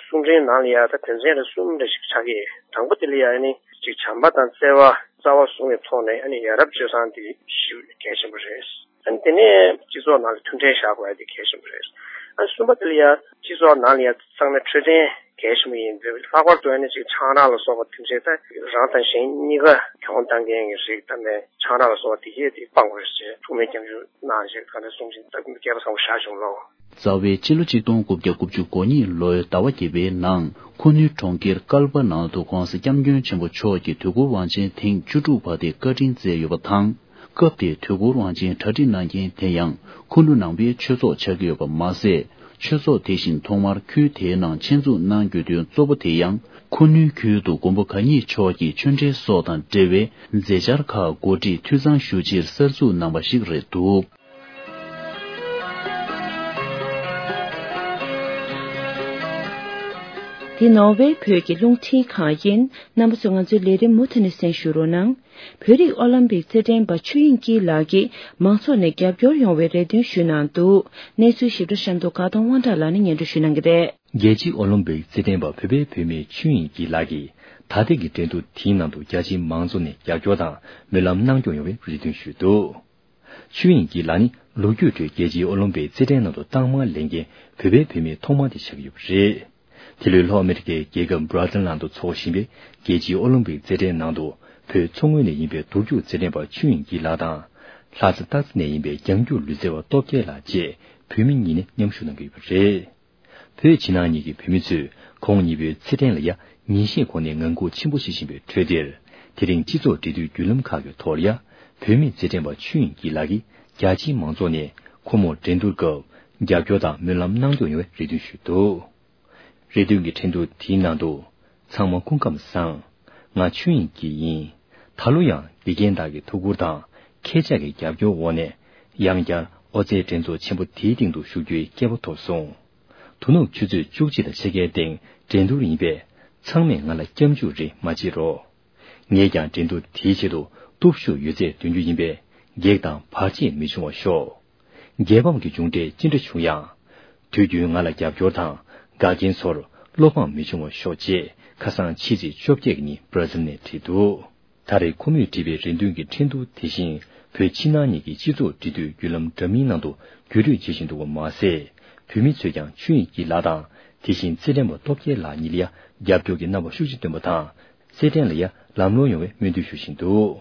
གསུང་འཕྲིན་ནང་ལ་ཡང་ད་དོན་ཚན་རེ་གསུམ་རེ་ཞིག་ཆགས་ཀྱི་ཡོད། དང་པོ་དེ་ལ་ཡང་ནི་ཅིག་བྱམས་པ་དང་བརྩེ་བ་རྩ་བ་བཟུང་བའི་ཐོག་ནས་ཨ་ནི་ཡ་རབས་སྤྱོད་བཟང་དེ་ཞེ་གལ་ཆེན་པོ་རེད། ཨ་ནི་དེ་ནས་སྤྱི་ཚོགས་ནང་ལ་མཐུན་སྒྲིལ་བཞག་དགོས་ཡ་དེ་གལ་ཆེན་པོ་རེད། ཨ་ནི་གསུམ་པ་དེ་ལ་ཡ་སྤྱི་ཚོགས་ནང་ལ་ཡ་ཚང་མས་འཕྲོད་བསྟེན་གལ་ཆེན་པོ་ཡིན་པས། ལྷག་པར་དུ་ཨ་ནི་ཅིག་ཆང་རག་ལ་སོགས་པ་དེ་འདྲའི་ད་རང་དང་གཞན་གཉིས་ཀ་གྱོང་བཏང་མཁན་གྱི་རིགས་ད་ནས་ཆང་རག་ལ་སོགས་པ་དེ་གས་དེ་སྤང་དགོས་ཞེས་ཐུགས་སྨོན་སྐྱབས་འཇུག་གནང་ཞེས་ག་འདྲ་གསུང་བཞིན་ད་སྐུ་མདུན་སྐལ་པ་བཟང་པོ་བཞག་བྱུང་ལོ། རྩ་བའི་ཕྱི་ལོ་ཆིག་སྟོང་དགུ་བརྒྱ་དགུ་བཅུ་གོ་གཉིས་ལོའི་ཟླ་བ་བརྒྱད་པའི་ནང་ཁུ་ནུའི་གྲོང་ཁྱེར་ཀལ་པ་ནང་དུ་༸གོང་ས་༸སྐྱབས་མགོན་ཆེན་པོ་མཆོག་གིས་དུས་འཁོར་དབང་ཆེན་ཐེངས་བཅུ་དྲུག་པ་དེ་བཀའ་དྲིན་སྩལ་ཡོད་པ་དང་། སྐབས་དེའི་དུས་འཁོར་དབང་ཆེན་གྲ་སྒྲིག་གནང་མཁན་དེ་ཡང་ཁུ་ནུ་ནང་པའི་ཆོས་ཚོགས་ཆགས་ཀྱི་ཡོད་པ་མ་ཟད། ཆོས་ཚོགས་དེ་བཞིན་ཐོག་མར་ཁུལ་དེའི་ནང་ཆེད་འཛུགས་གནང་དགོས་དོན་གཙོ་བོ་དེ་ཡང་ཁུ་ནུའི་ཁུལ་དུ་མགོན་པོ་གང་ཉིད་མཆོག་གི་ཆོས་འབྲེལ་སོགས་དང་འབྲེལ་བའི་མཛད་འཆར་ཁག་གོ་སྒྲིག་འཐུས་ཚང་ཞུ་ཕྱིར་གསར་འཛུགས་གནང་བ་ཞིག་རེད་འདུག་འདི་ནོར་ཝེ་བོད་ཀྱི་རླུང་འཕྲིན་ཁང་ཡིན། རྣམ་པ་ཚོས་ང་ཚོའི་ལས་རིམ་མུ་མཐུད་ནས་གསན་ཞུ་རོགས་གནང་། བོད་རིགས་ཨོ་ལིམ་པིག་རྩེད་འགྲན་པ་ཆོས་དབྱིངས་སྐྱིད་ལགས་ཀྱིས་མང་ཚོགས་ནས་རྒྱབ་སྐྱོར་ཡོང་བའི་རེ་འདུན་ཞུས་གནང་འདུག་གནས་ཚུལ་ཞིབ་ཕྲ་གཤམ་དུ་དགའ་གདོང་དབང་གྲགས་ལགས་ནས་སྙན་སྒྲོན་ཞུ་གནང་གི་རེད། རྒྱལ་སྤྱིའི་ཨོ་ལིམ་པིག་རྩེད་འགྲན་པ་བོད་པའི་བུད་མེད་ཆོས་དབྱིངས་སྐྱིད་ལགས་ཀྱིས་ད་ཐེངས་ཀྱི་འགྲན་བསྡུར་དེའི་ནང་དུ་རྒྱ་ཆེའི་མང་ཚོགས་ནས་རྒྱབ་སྐྱོར་དང་སྨོན་ལམ་གནང་སྐྱོང་ཡོང་བའི་རེ་འདུན་ཞུས་འདུག་ཆོས་དབྱིངས་སྐྱིད་ལགས་ནི་ལོ་རྒྱུས་ཁྲོད་རྒྱལ་སྤྱིའི་ཨོ་ལིམ་པིག་རྩེད་འགྲན་ནང་དུ་རྟགས་མ་ལེན་མཁན་བོད་པའི་བུད་མེད་ཐོག་མ་དེ་ཆགས་ཀྱི་ཡོད་པ་རེད། དེ་ལོའི་ལྷོ་ཨ་མེ་རི་ཀའི་རྒྱལ་ཁབ་སྦྲ་ཛིལ་ནང་དུ་འཚོགས་བཞིན་པའི་རྒྱལ་སྤྱིའི་ཨོ་ལིམ་པིག་རྩེད་འགྲན་ནང་དུ་བོད་མཚོ་སྔོན་ནས་ཡིན་པའི་རྡོ་རྒྱུག་རྩེད་འགྲན་པ་ཆོས་དབྱིངས་སྐྱིད་ལགས་དང་། ལྷ་ས་སྟག་རྩེ་ནས་ཡིན་པའི་རྒྱང་རྒྱུག་ལུས་རྩལ་བ་སྟོབས་རྒྱལ་ལགས་བཅས་བོད་མི་གཉིས་ནས་མཉམ་ཞུགས་གནང་གི་ཡོད་པ་རེད། བོད་ཕྱི་ནང་གཉིས་ཀྱི་བུད་མེད་ཚོས་ཁོང་གཉིས་པོའི་རྩེད་འགྲན་ལ་ཡ་ཉིན་ཤས་གོང་ནས་ངང་སྒུག་ཆེན་པོ་བྱེད་བཞིན་པའི་ཁྲོད་འདིར། དེ་རིང་སྤྱི་ཚོགས་འབྲེལ་མཐུད་བརྒྱུད་ལམ་ཁག་གི་ཐོག་ལ་ཡ། བུད་མེད་རྩེད་འགྲན་པ་ཆོས་དབྱིངས་སྐྱིད་ལགས་ཀྱིས་རྒྱ་ཆེའི་མང་ཚོགས་ནས་ཁོ་མོར་འགྲན་བསྡུར་སྐབས་རྒྱབ་སྐྱོར་དང་སྨོན་ལམ་གནང་སྐྱོང་ཡོང་བའི་རེ་འདུན་ཞུས་འདུག་རེ་འདུན་གྱི་འཕྲིན་ཐུང་དེའི་ནང་དུ། ཚང་མ་སྐུ་ཁམས་བཟང་། ང་ཆོས་དབྱིངས་སྐྱིད་ཡིན། ད་ལོ་ཡང་དགེ་རྒན་དག་གི་ཐུགས་ཁུར་དང་ཁྱེད་ཅག་གི་རྒྱབ་སྐྱོར་འོག་ནས། ཡང་བསྐྱར་ཨོ་རྩལ་འགྲན་ཚོགས་ཆེན་པོ་དེའི་སྟེང་དུ་ཞུགས་རྒྱུའི་སྐལ་བ་ཐོབ་སོང་། དོ་ནུབ་ཆུ་ཚོད་བཅུ་གཅིག་དང་ཕྱེད་ཀའི་སྟེང་འགྲན་བསྡུར་ཡིན་པས། ཚང་མས་ང་ལ་སྐྱབས་འཇུག་རེ་མ་བྱེད་རོགས། ངས་ཀྱང་འགྲན་བསྡུར་དེའི་ཆེད་དུ་སྟོབས་ཤུགས་ཡོད་ཚད་འདོན་རྒྱུ་ཡིན་པས། གེགས་དང་བར་ཆད་མི་འབྱུང་བར་ཤོག་རྒྱལ་ཕམ་གྱི་མཇུག་འབྲས་ཅི་འདྲ་བྱུང་ཡང་། དུས་རྒྱུན་ང་ལ་རྒྱབ་སྐྱོར་དང་། འགལ་རྐྱེན་ཚོར་བློ་ཕམ་མི་འབྱུང་བར་ཤོག་ཅེས་ཁ་སང་ཕྱི་ཚེས་བཅོ་བརྒྱད་ཀྱི་ཉིན་སྦྲ་ཟིལ་ནས་བྲིས་འདུག་ད་རེས་ཁོ་མོས་བྲིས་པའི་རེ་འདུན་གྱི་འཕྲིན་ཐུང་དེ་བཞིན་བོད་ཕྱི་ནང་གཉིས་ཀྱི་སྤྱི་ཚོགས་འབྲེལ་མཐུད་བརྒྱུད་ལམ་འདྲ་མིན་ནང་དུ་བརྒྱུད་སྤྲོད་བྱེད་བཞིན་འདུག་པ་མ་ཟད། བོད་མི་ཚོས་ཀྱང་ཆོས་དབྱིངས་སྐྱིད་ལགས་དང་ དེ་བཞིན་རྩེད་འགྲན་པ་སྟོབས་རྒྱལ་ལགས་གཉིས་ལ་ཡང་རྒྱབ་སྐྱོར་གྱི་རྣམ་པ་ཤུགས་ཆེ་བཏོན་པ་དང་། རྩེད་འགྲན་ལ་ཡང་ལམ་ལྷོང་ཡོང་བའི་སྨོན་འདུན་ཞུ་བཞིན་འདུག་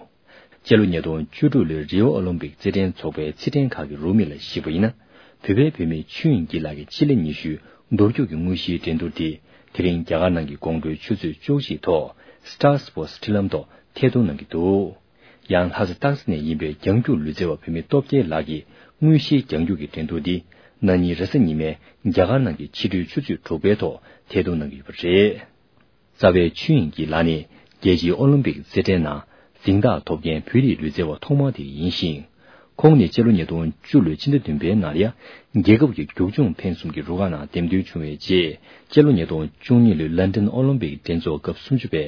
སྤྱི་ལོ་ཉིས་སྟོང་བཅུ་དྲུག་ལོའི་རི་ཨོ་ཨོ་ལིམ་པིག་རྩེད་འགྲན་ཚོགས་པའི་རྩེད་འགྲན་ཁག་གི་རོགས་མི་ལ་གཞིགས་པ་ཡིན་ན། བོད་པའི་བུད་མེད་ཆོས་དབྱིངས་སྐྱིད་ལགས་ཀྱི་སྤྱི་ལེ་ཉི་ཤུའི་འདུར་རྒྱུག་གི་དངོས་གཞིའི་འགྲན་བསྡུར་དེ་དེ་རིང་རྒྱ་གར་ནང་གི་དགོང་དྲོའི་ཆུ་ཚོད་བཅུ་གཅིག་ཐོག་Star Sports འཕྲུལ་ལམ་ཐོག་ཐད་གཏོང་གནང་གི་འདུག་ཡང་ལྷ་ས་སྟག་རྩེ་ནས་ཡིན་པའི་རྒྱང་རྒྱུག་ལུས་རྩལ་བ་བུད་མེད་སྟོབས་རྒྱལ་ལགས་ཀྱིས་དངོས་གཞིའི་རྒྱང་རྒྱུག་གི་འགྲན་བསྡུར་འདི་ན་ནིང་རེས་གཟའ་ཉི་མའི་རྒྱ་གར་ནང་གི་ཕྱི་དྲོའི་ཆུ་ཚོད་དྲུག་པའི་ཐོག་ཐད་གཏོང་གནང་གི་ཡོད་པ་རེད། རྩ་བའི་ཆོས་དབྱིངས་སྐྱིད་ལགས་ནི་རྒྱལ་སྤྱིའི་ཨོ་ལིམ་པིག་རྩེད་འགྲན་ནང་གཟེངས་རྟགས་ཐོབ་མཁན་བོད་རིགས་ལུས་རྩལ་བ་ཐོག་མ་དེ་ཡིན་ཞིང་། ཁོང་ནི་སྤྱི་ལོ་ཉིས་སྟོང་བཅུ་ལོའི་ཕྱི་ཟླ་བདུན་པའི་ནང་ལ་ཡང་རྒྱལ་ཁབ་ཀྱི་རྒྱུག་མཆོང་འཕེན་གསུམ་གྱི་རུ་ཁག་ནང་འདེམས་ཐོན་བྱུང་བའི་རྗེས། སྤྱི་ལོ་ཉིས་སྟོང་བཅུ་གཉིས་ལོའི་ལན་ཀྲན་ཨོ་ལིམ་པིག་འགྲན་ཚོགས་སྐབས་སུམ་ཅུ་པའི་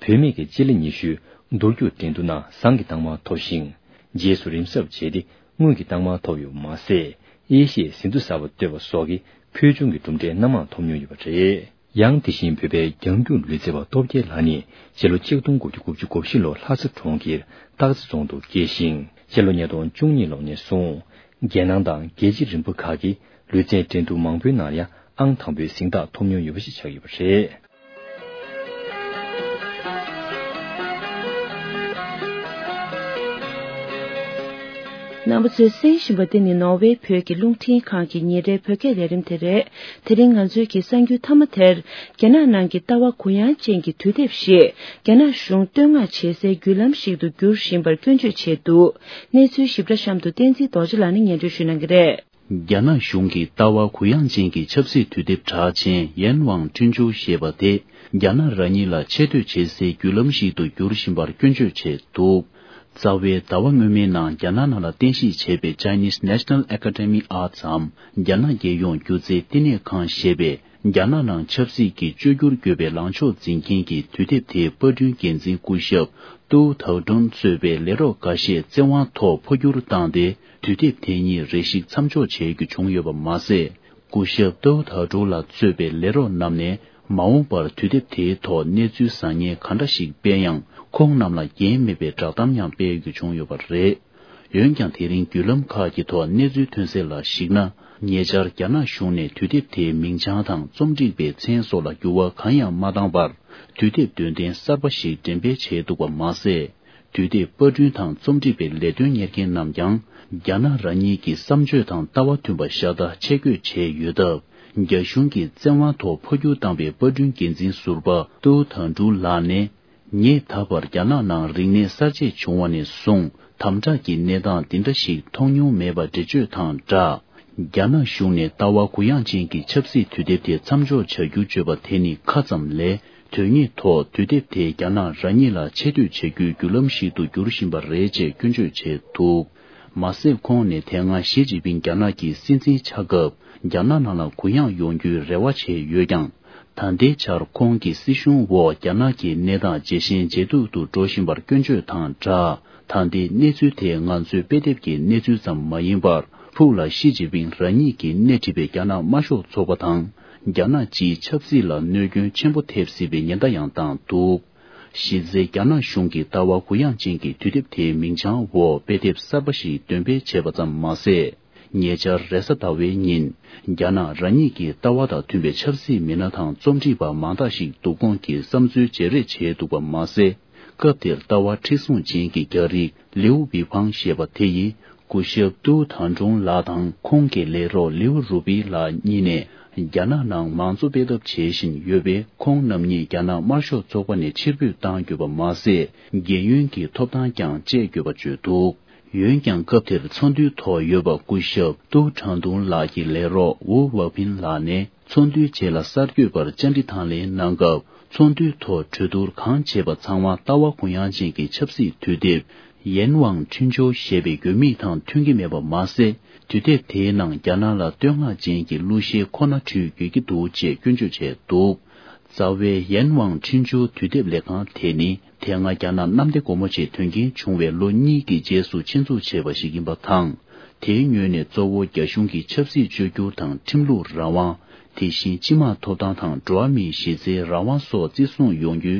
བུད་མེད་ཀྱི་སྤྱི་ལེ་ཉི་ཤུའི་འདུར་རྒྱུག་འགྲན་བསྡུར་ནང་ཟངས་ཀྱི་རྟགས་མ་ཐོབ་ཞིང་། རྗེས་སུ་རིམ་གསབ་བྱས་ཏེ་དངུལ་གྱི་རྟགས་མ་ཐོབ་ཡོད་པ་མ་ཟད། དབྱེ་ཞིབ་ཟིན་ཐོ་གསར་པ་བཏོད་པ་སོགས་ཀྱི་ཕུལ་བྱུང་གི་གྲུབ་འབྲས་སྣ་མང་ཐོབ་མྱོང་ཡོད་པ་རེད། ཡང་དེ་བཞིན་བོད་པའི་རྒྱང་རྒྱུག་ལུས་རྩལ་བ་སྟོབས་རྒྱལ་ལགས་ནི་སྤྱི་ལོ་ཆིག་སྟོང་དགུ་བརྒྱ་དགུ་བཅུ་གོ་བཞི་ལོར་ལྷ་ས་གྲོང་ཁྱེར་སྟག་རྩེ་རྫོང་དུ་སྐྱེས་ཤིང་། སྤྱི་ལོ་ཉིས་སྟོང་བཅུ་གཉིས་ལོ་ནས་བཟུང་རྒྱལ་ནང་དང་རྒྱལ་སྤྱི་རིམ་པ་ཁག་གི་ལུས་རྩལ་འགྲན་བསྡུར་མང་པོའི་ནང་ཡང་ཨང་དང་པོའི་གཟེངས་རྟགས་ཐོབ་མྱོང་ཡོད་པ་ཞིག་ཆགས་ཡོད་པ་རེད། རྣམ་པ་ཚོས་གསན་བཞིན་པ་འདི་ནི་ནོར་ཝེ་བོད་ཀྱི་རླུང་འཕྲིན་ཁང་གི་ཉིན་རེའི་བོད་སྐད་ལས་རིམ་དེ་རེད། དེ་རིང་ང་ཚོའི་གི་གསར་འགྱུར་མཐའ་མ་དེར། རྒྱ་ནག་ནང་གི་ལྟ་བ་གུ་ཡངས་ཅན་གྱི་དུས་དེབ་ཞིག་རྒྱ་ནག་གཞུང་བསྟོད་བསྔགས་བྱེད་སའི་བརྒྱུད་ལམ་ཞིག་ཏུ་འགྱུར་བཞིན་པར་སྐྱོན་བརྗོད་བྱས་འདུག་གནས་ཚུལ་ཞིབ་ཕྲ་གཤམ་དུ་བསྟན་འཛིན་རྡོ་རྗེ་ལགས་ནས་སྙན་སྒྲོན་ཞུ་གནང་གི་རེད། རྒྱ་ནག་གཞུང་གི་ལྟ་བ་གུ་ཡངས་ཅན་གྱི་ཆབ་སྲིད་དུས་དེབ་གྲགས་ཅན་ཡན་ཝང་ཁྲིན་ཆུ་ཞེས་པ་དེ། རྒྱ་ནག་རང་ཉིད་ལ་ཆེ་བསྟོད་བྱེད་སའི་བརྒྱུད་ལམ་ཞིག་ཏུ་འགྱུར་བཞིན་པར་སྐྱོན་བརྗོད་བྱས་འདུག་རྩ་བའི་ཟླ་བ་སྔོན་མའི་ནང་རྒྱ་ནག་ནང་ལ་རྟེན་གཞི་བྱས་པའི་Chinese National Academy Arts འམ། རྒྱ་ནག་རྒྱལ་ཡོངས་སྒྱུ་རྩལ་བསྟི་གནས་ཁང་ཞེས་པས། རྒྱ་ནག་ནང་ཆབ་སྲིད་ཀྱི་བཅོས་བསྒྱུར་བརྒྱུད་པའི་ལངས་ཕྱོགས་འཛིན་མཁན་གྱི་དུས་དེབ་དེའི་པར་སྐྲུན་འགན་འཛིན་སྐུ་ཞབས་ཏུའུ་ཐའོ་ཀྲུང་གཙོས་པའི་ལས་རོགས་འགའ་ཤས་བཙན་དབང་ཐོག་འཕོ་འགྱུར་བཏང་སྟེ། དུས་དེབ་དེ་ཉིད་རེ་ཞིག་མཚམས་འཇོག་བྱེད་རྒྱུ་བྱུང་ཡོད་པ་མ་ཟད། སྐུ་ཞབས་ཏུའུ་ཐའོ་ཀྲུང་ལ་གཙོས་པའི་ལས་རོགས་རྣམས་ནས་མ་འོངས་པར་དུས་དེབ་དེའི་ཐོག་གནས་ཚུལ་བཟང་ངན་ག་འདྲ་ཞིག་སྤེལ་ཡང་ཁོང་རྣམས་ལ་འགན་མེད་པའི་བསྒྲགས་གཏམ་ཡང་སྤེལ་རྒྱུ་བྱུང་ཡོད་པ་རེད། འོན་ཀྱང་དེ་རིང་བརྒྱུད་ལམ་ཁག་གི་ཐོག་གནས་ཚུལ་ཐོན་གསལ་ལ་གཞིགས་ན། ཉེ་ཆར་རྒྱ་ནག་གཞུང་ནས་དུས་དེབ་དེའི་མིང་བྱང་དང་རྩོམ་སྒྲིག་པའི་མཚན་སོགས་ལ་འགྱུར་བ་གང་ཡང་མ་བཏང་བར། དུས་དེབ་འདོན་ཐེངས་གསར་པ་ཞིག་འགྲེམས་སྤེལ་བྱས་འདུག་པ་མ་ཟད། དུས་དེབ་པར་སྐྲུན་དང་རྩོམ་སྒྲིག་པའི་ལས་དོན་གཉེར་མཁན་རྣམས་ཀྱང་། རྒྱ་ནག་རང་ཉིད་ཀྱི་བསམ་སྤྱོད་དང་ལྟ་བ་མཐུན་པ་ཤ་སྟག་ཆེད་བསྐོས་བྱས་ཡོད་སྟབས། རྒྱ་གཞུང་གིས་བཙན་དབང་ཐོག་འཕོ་འགྱུར་བཏང་བའི་པར་སྐྲུན་འགན་འཛིན་ཟུར་པ་ཏུའུ་ཐང་ཀྲུའུ་ལགས་ནས། ངས་ད་བར་རྒྱ་ནག་ནང་རིག་གནས་གསར་བརྗེ་བྱུང་བ་ནས་བཟུང་དམ་དྲག་གི་གནས་སྟངས་འདི་འདྲ་ཞིག་མཐོང་མྱོང་མེད་པ་འགྲེལ་བརྗོད་དང་སྦྲགས། རྒྱ་ནག་གཞུང་ནས་ལྟ་བ་གུ་ཡངས་ཅན་གྱི་ཆབ་སྲིད་དུས་དེབ་དེ་མཚམས་འཇོག་བྱ་རྒྱུ་བརྗོད་པ་དེ་ནི་ཁ་ཙམ་ལས། དོན་དངོས་ཐོག་དུས་དེབ་དེ་རྒྱ་ནག་རང་ཉིད་ལ་ཆེ་བསྟོད་བྱ་རྒྱུའི་བརྒྱུད་ལམ་ཞིག་ཏུ་འགྱུར་བཞིན་པ་རེད་ཅེས་སྐྱོན་བརྗོད་བྱས་འདུག་མ་ཟད་ཁོང་ནས་དེ་སྔ་ཞི་ཅིན་ཕིང་རྒྱ་ནག་གི་སྲིད་འཛིན་ཆགས་སྐབས་རྒྱ་ནག་ནང་ལ་གུ་ཡངས་ཡོང་རྒྱུའི་རེ་བ་བྱས་ཡོད་ཀྱང་། ད་ལྟའི་ཆར་ཁོང་གི་སྲིད་གཞུང་འོག་རྒྱ་ནག་གི་གནས་སྟངས་ཇེ་ཞན་ཇེ་སྡུག་ཏུ་འགྲོ་བཞིན་པར་སྐྱོན་བརྗོད་དང་སྦྲགས། ད་ལྟའི་གནས་ཚུལ་དེ་ང་ཚོའི་དཔེ་དེབ་ཀྱི་གནས་ཚུལ་ཙམ་མ་ཡིན་པར། ཕུགས་ལ་ཞི་ཅིན་ཕིང་རང་ཉིད་ཀྱིས་སྣེ་ཁྲིད་པའི་རྒྱ་ནག་དམར་ཤོག་ཚོགས་པ་དང་། རྒྱ་ནག་སྤྱིའི་ཆབ་སྲིད་ལ་གནོད་སྐྱོན་ཆེན་པོ་ཐེབས་སྲིད་པའི་ཉེན་བརྡ་ཡང་བཏང་འདུག་གཞི་རྩའི་རྒྱ་ནག་གཞུང་གི་ལྟ་བ་གུ་ཡངས་ཅན་གྱི་དུས་དེབ་དེའི་མིང་བྱང་འོག་དཔེ་དེབ་གསར་པ་ཞིག་འདོན་སྤེལ་བྱས་པ་ཙམ་མ་ཟད། ཉེ་ཆར་རེས་གཟའ་ཟླ་བའི་ཉིན། རྒྱ་ནག་རང་ཉིད་ཀྱི་ལྟ་བ་དང་མཐུན་པའི་ཆབ་སྲིད་མི་སྣ་དང་རྩོམ་སྒྲིག་པ་མང་དག་ཞིག་བསྡུ་སྐོང་གིས་བསམ་ཚུལ་བརྗེ་རེས་བྱས་འདུག་པ་མ་ཟད། སྐབས་དེར་ལྟ་བ་མཁྲེགས་བཟུང་ཅན་གྱི་རྒྱ་རིགས་ལིའུ་ཝི་ཕང་ཞེས་པ་དེ་ཡིས། སྐུ་ཞབས་ཏུའུ་ཐང་ཀྲུང་ལགས་དང་ཁོང་གི་ལས་རོགས་ལིའུ་རུ་པི་ལགས་གཉིས་ནས། རྒྱ་ནག་ནང་མང་གཙོ་སྤེལ་ཐབས་བྱེད་བཞིན་ཡོད་པས། ཁོང་རྣམ་གཉིས་རྒྱ་ནག་དམར་ཤོག་ཚོགས་པ་ནས་ཕྱིར་འབུད་བཏང་དགོས་པ་མ་ཟད། རྒན་ཡོལ་གྱི་ཐོབ་ཐང་ཀྱང་བཅད་དགོས་པ་བརྗོད་འདུག་འོན་ཀྱང་། སྐབས་དེར་ཚོགས་འདུའི་ཐོག་ཡོད་པ་སྐུ་ཞབས་ཏུའུ་ཁྲང་ཏུང་ལགས་ཀྱི་ལས་རོགས་ཝུའུ་ཝ་ཕིན་ལགས་ནས། ཚོགས་འདུའི་རྗེས་ལ་གསར་འགོད་པར་བཅར་འདྲི་དང་ལེན་གནང་སྐབས། ཚོགས་འདུའི་ཐོག་གྲོས་བསྡུར་གང་བྱས་པ་ཚང་མ་ལྟ་བ་གུ་ཡངས་ཅན་གྱི་ཆབ་སྲིད་དུས་དེབ་ཡན་ཝང་ཁྲིན་ཆོ་ཞེས་པའི་འགྱུར་མིང་དང་མཐུན་གྱི་མེད་པ་མ་ཟད། དུས་དེབ་དེའི་ནང་རྒྱ་ནག་ལ་བསྟོད་བསྔགས་ཅན་གྱི་གླུ་གཞས་ཁོ་ན་འཁྲུལ་ཡོད་ཀྱི་འདུག་ཅེས་སྐྱོན་བརྗོད་བྱས་འདུག་རྩ་བའི་ཡན་ཝང་ཁྲིན་ཆོ་དུས་དེབ་ལས་ཁང་དེ་ནི། དེ་སྔ་རྒྱ་ནག་གནམ་བདེ་སྒོ་མོ་ཆེ་དོན་རྐྱེན་བྱུང་བའི་ལོ་གཉིས་ཀྱི་རྗེས་སུ་ཆེད་འཛུགས་བྱས་པ་ཞིག་ཡིན་པ་དང་། དེའི་ངོས་ནས་གཙོ་བོ་རྒྱ་གཞུང་གི་ཆབ་སྲིད་བཅོས་བསྒྱུར་དང་ཁྲིམས་ལུགས་རང་དབང་། དེ་བཞིན་སྤྱི་དམངས་ཐོབ་ཐང་དང་འགྲོ་བ་མིའི་གཞི་རྩའི་རང་དབང་སོགས་བརྩི་སྲུང་ཡོང་རྒྱུའི་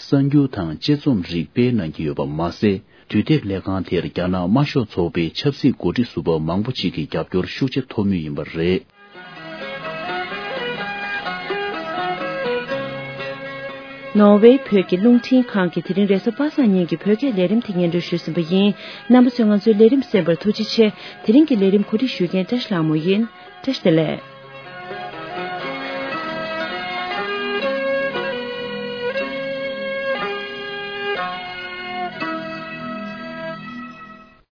སླད། གསར་འགྱུར་དང་དཔྱད་རྩོམ་རིགས་སྤེལ་གནང་གི་ཡོད་པ་མ་ཟད། དུས་དེབ་ལས་ཁང་དེར་རྒྱ་ནག་དམར་ཤོག་ཚོགས་པའི་ཆབ་སྲིད་འགོ་ཁྲིད་ཟུར་པ་མང་པོ་ཅིག་གི་རྒྱབ་སྐྱོར་ཤུགས་ཆེ་ཐོབ་མུས་ཡིན་པ་རེད། ནོར་ཝེ་བོད་ཀྱི་རླུང་འཕྲིན་ཁང་གིས་དེ་རིང་རེས་གཟའ་པ་སངས་ཉིན་གྱི་བོད་སྐད་ལས་རིམ་དེ་སྙན་སྒྲོན་ཞུས་ཟིན་པ་ཡིན། རྣམ་པ་ཚོས་ང་ཚོའི་ལས་རིམ་གསན་པར་ཐུགས་རྗེ་ཆེ། དེ་རིང་གི་ལས་རིམ་གོ་སྒྲིག་ཞུ་མཁན་བཀྲ་ཤིས་ལྷ་མོ་ཡིན། བཀྲ་ཤིས་བདེ་ལེགས།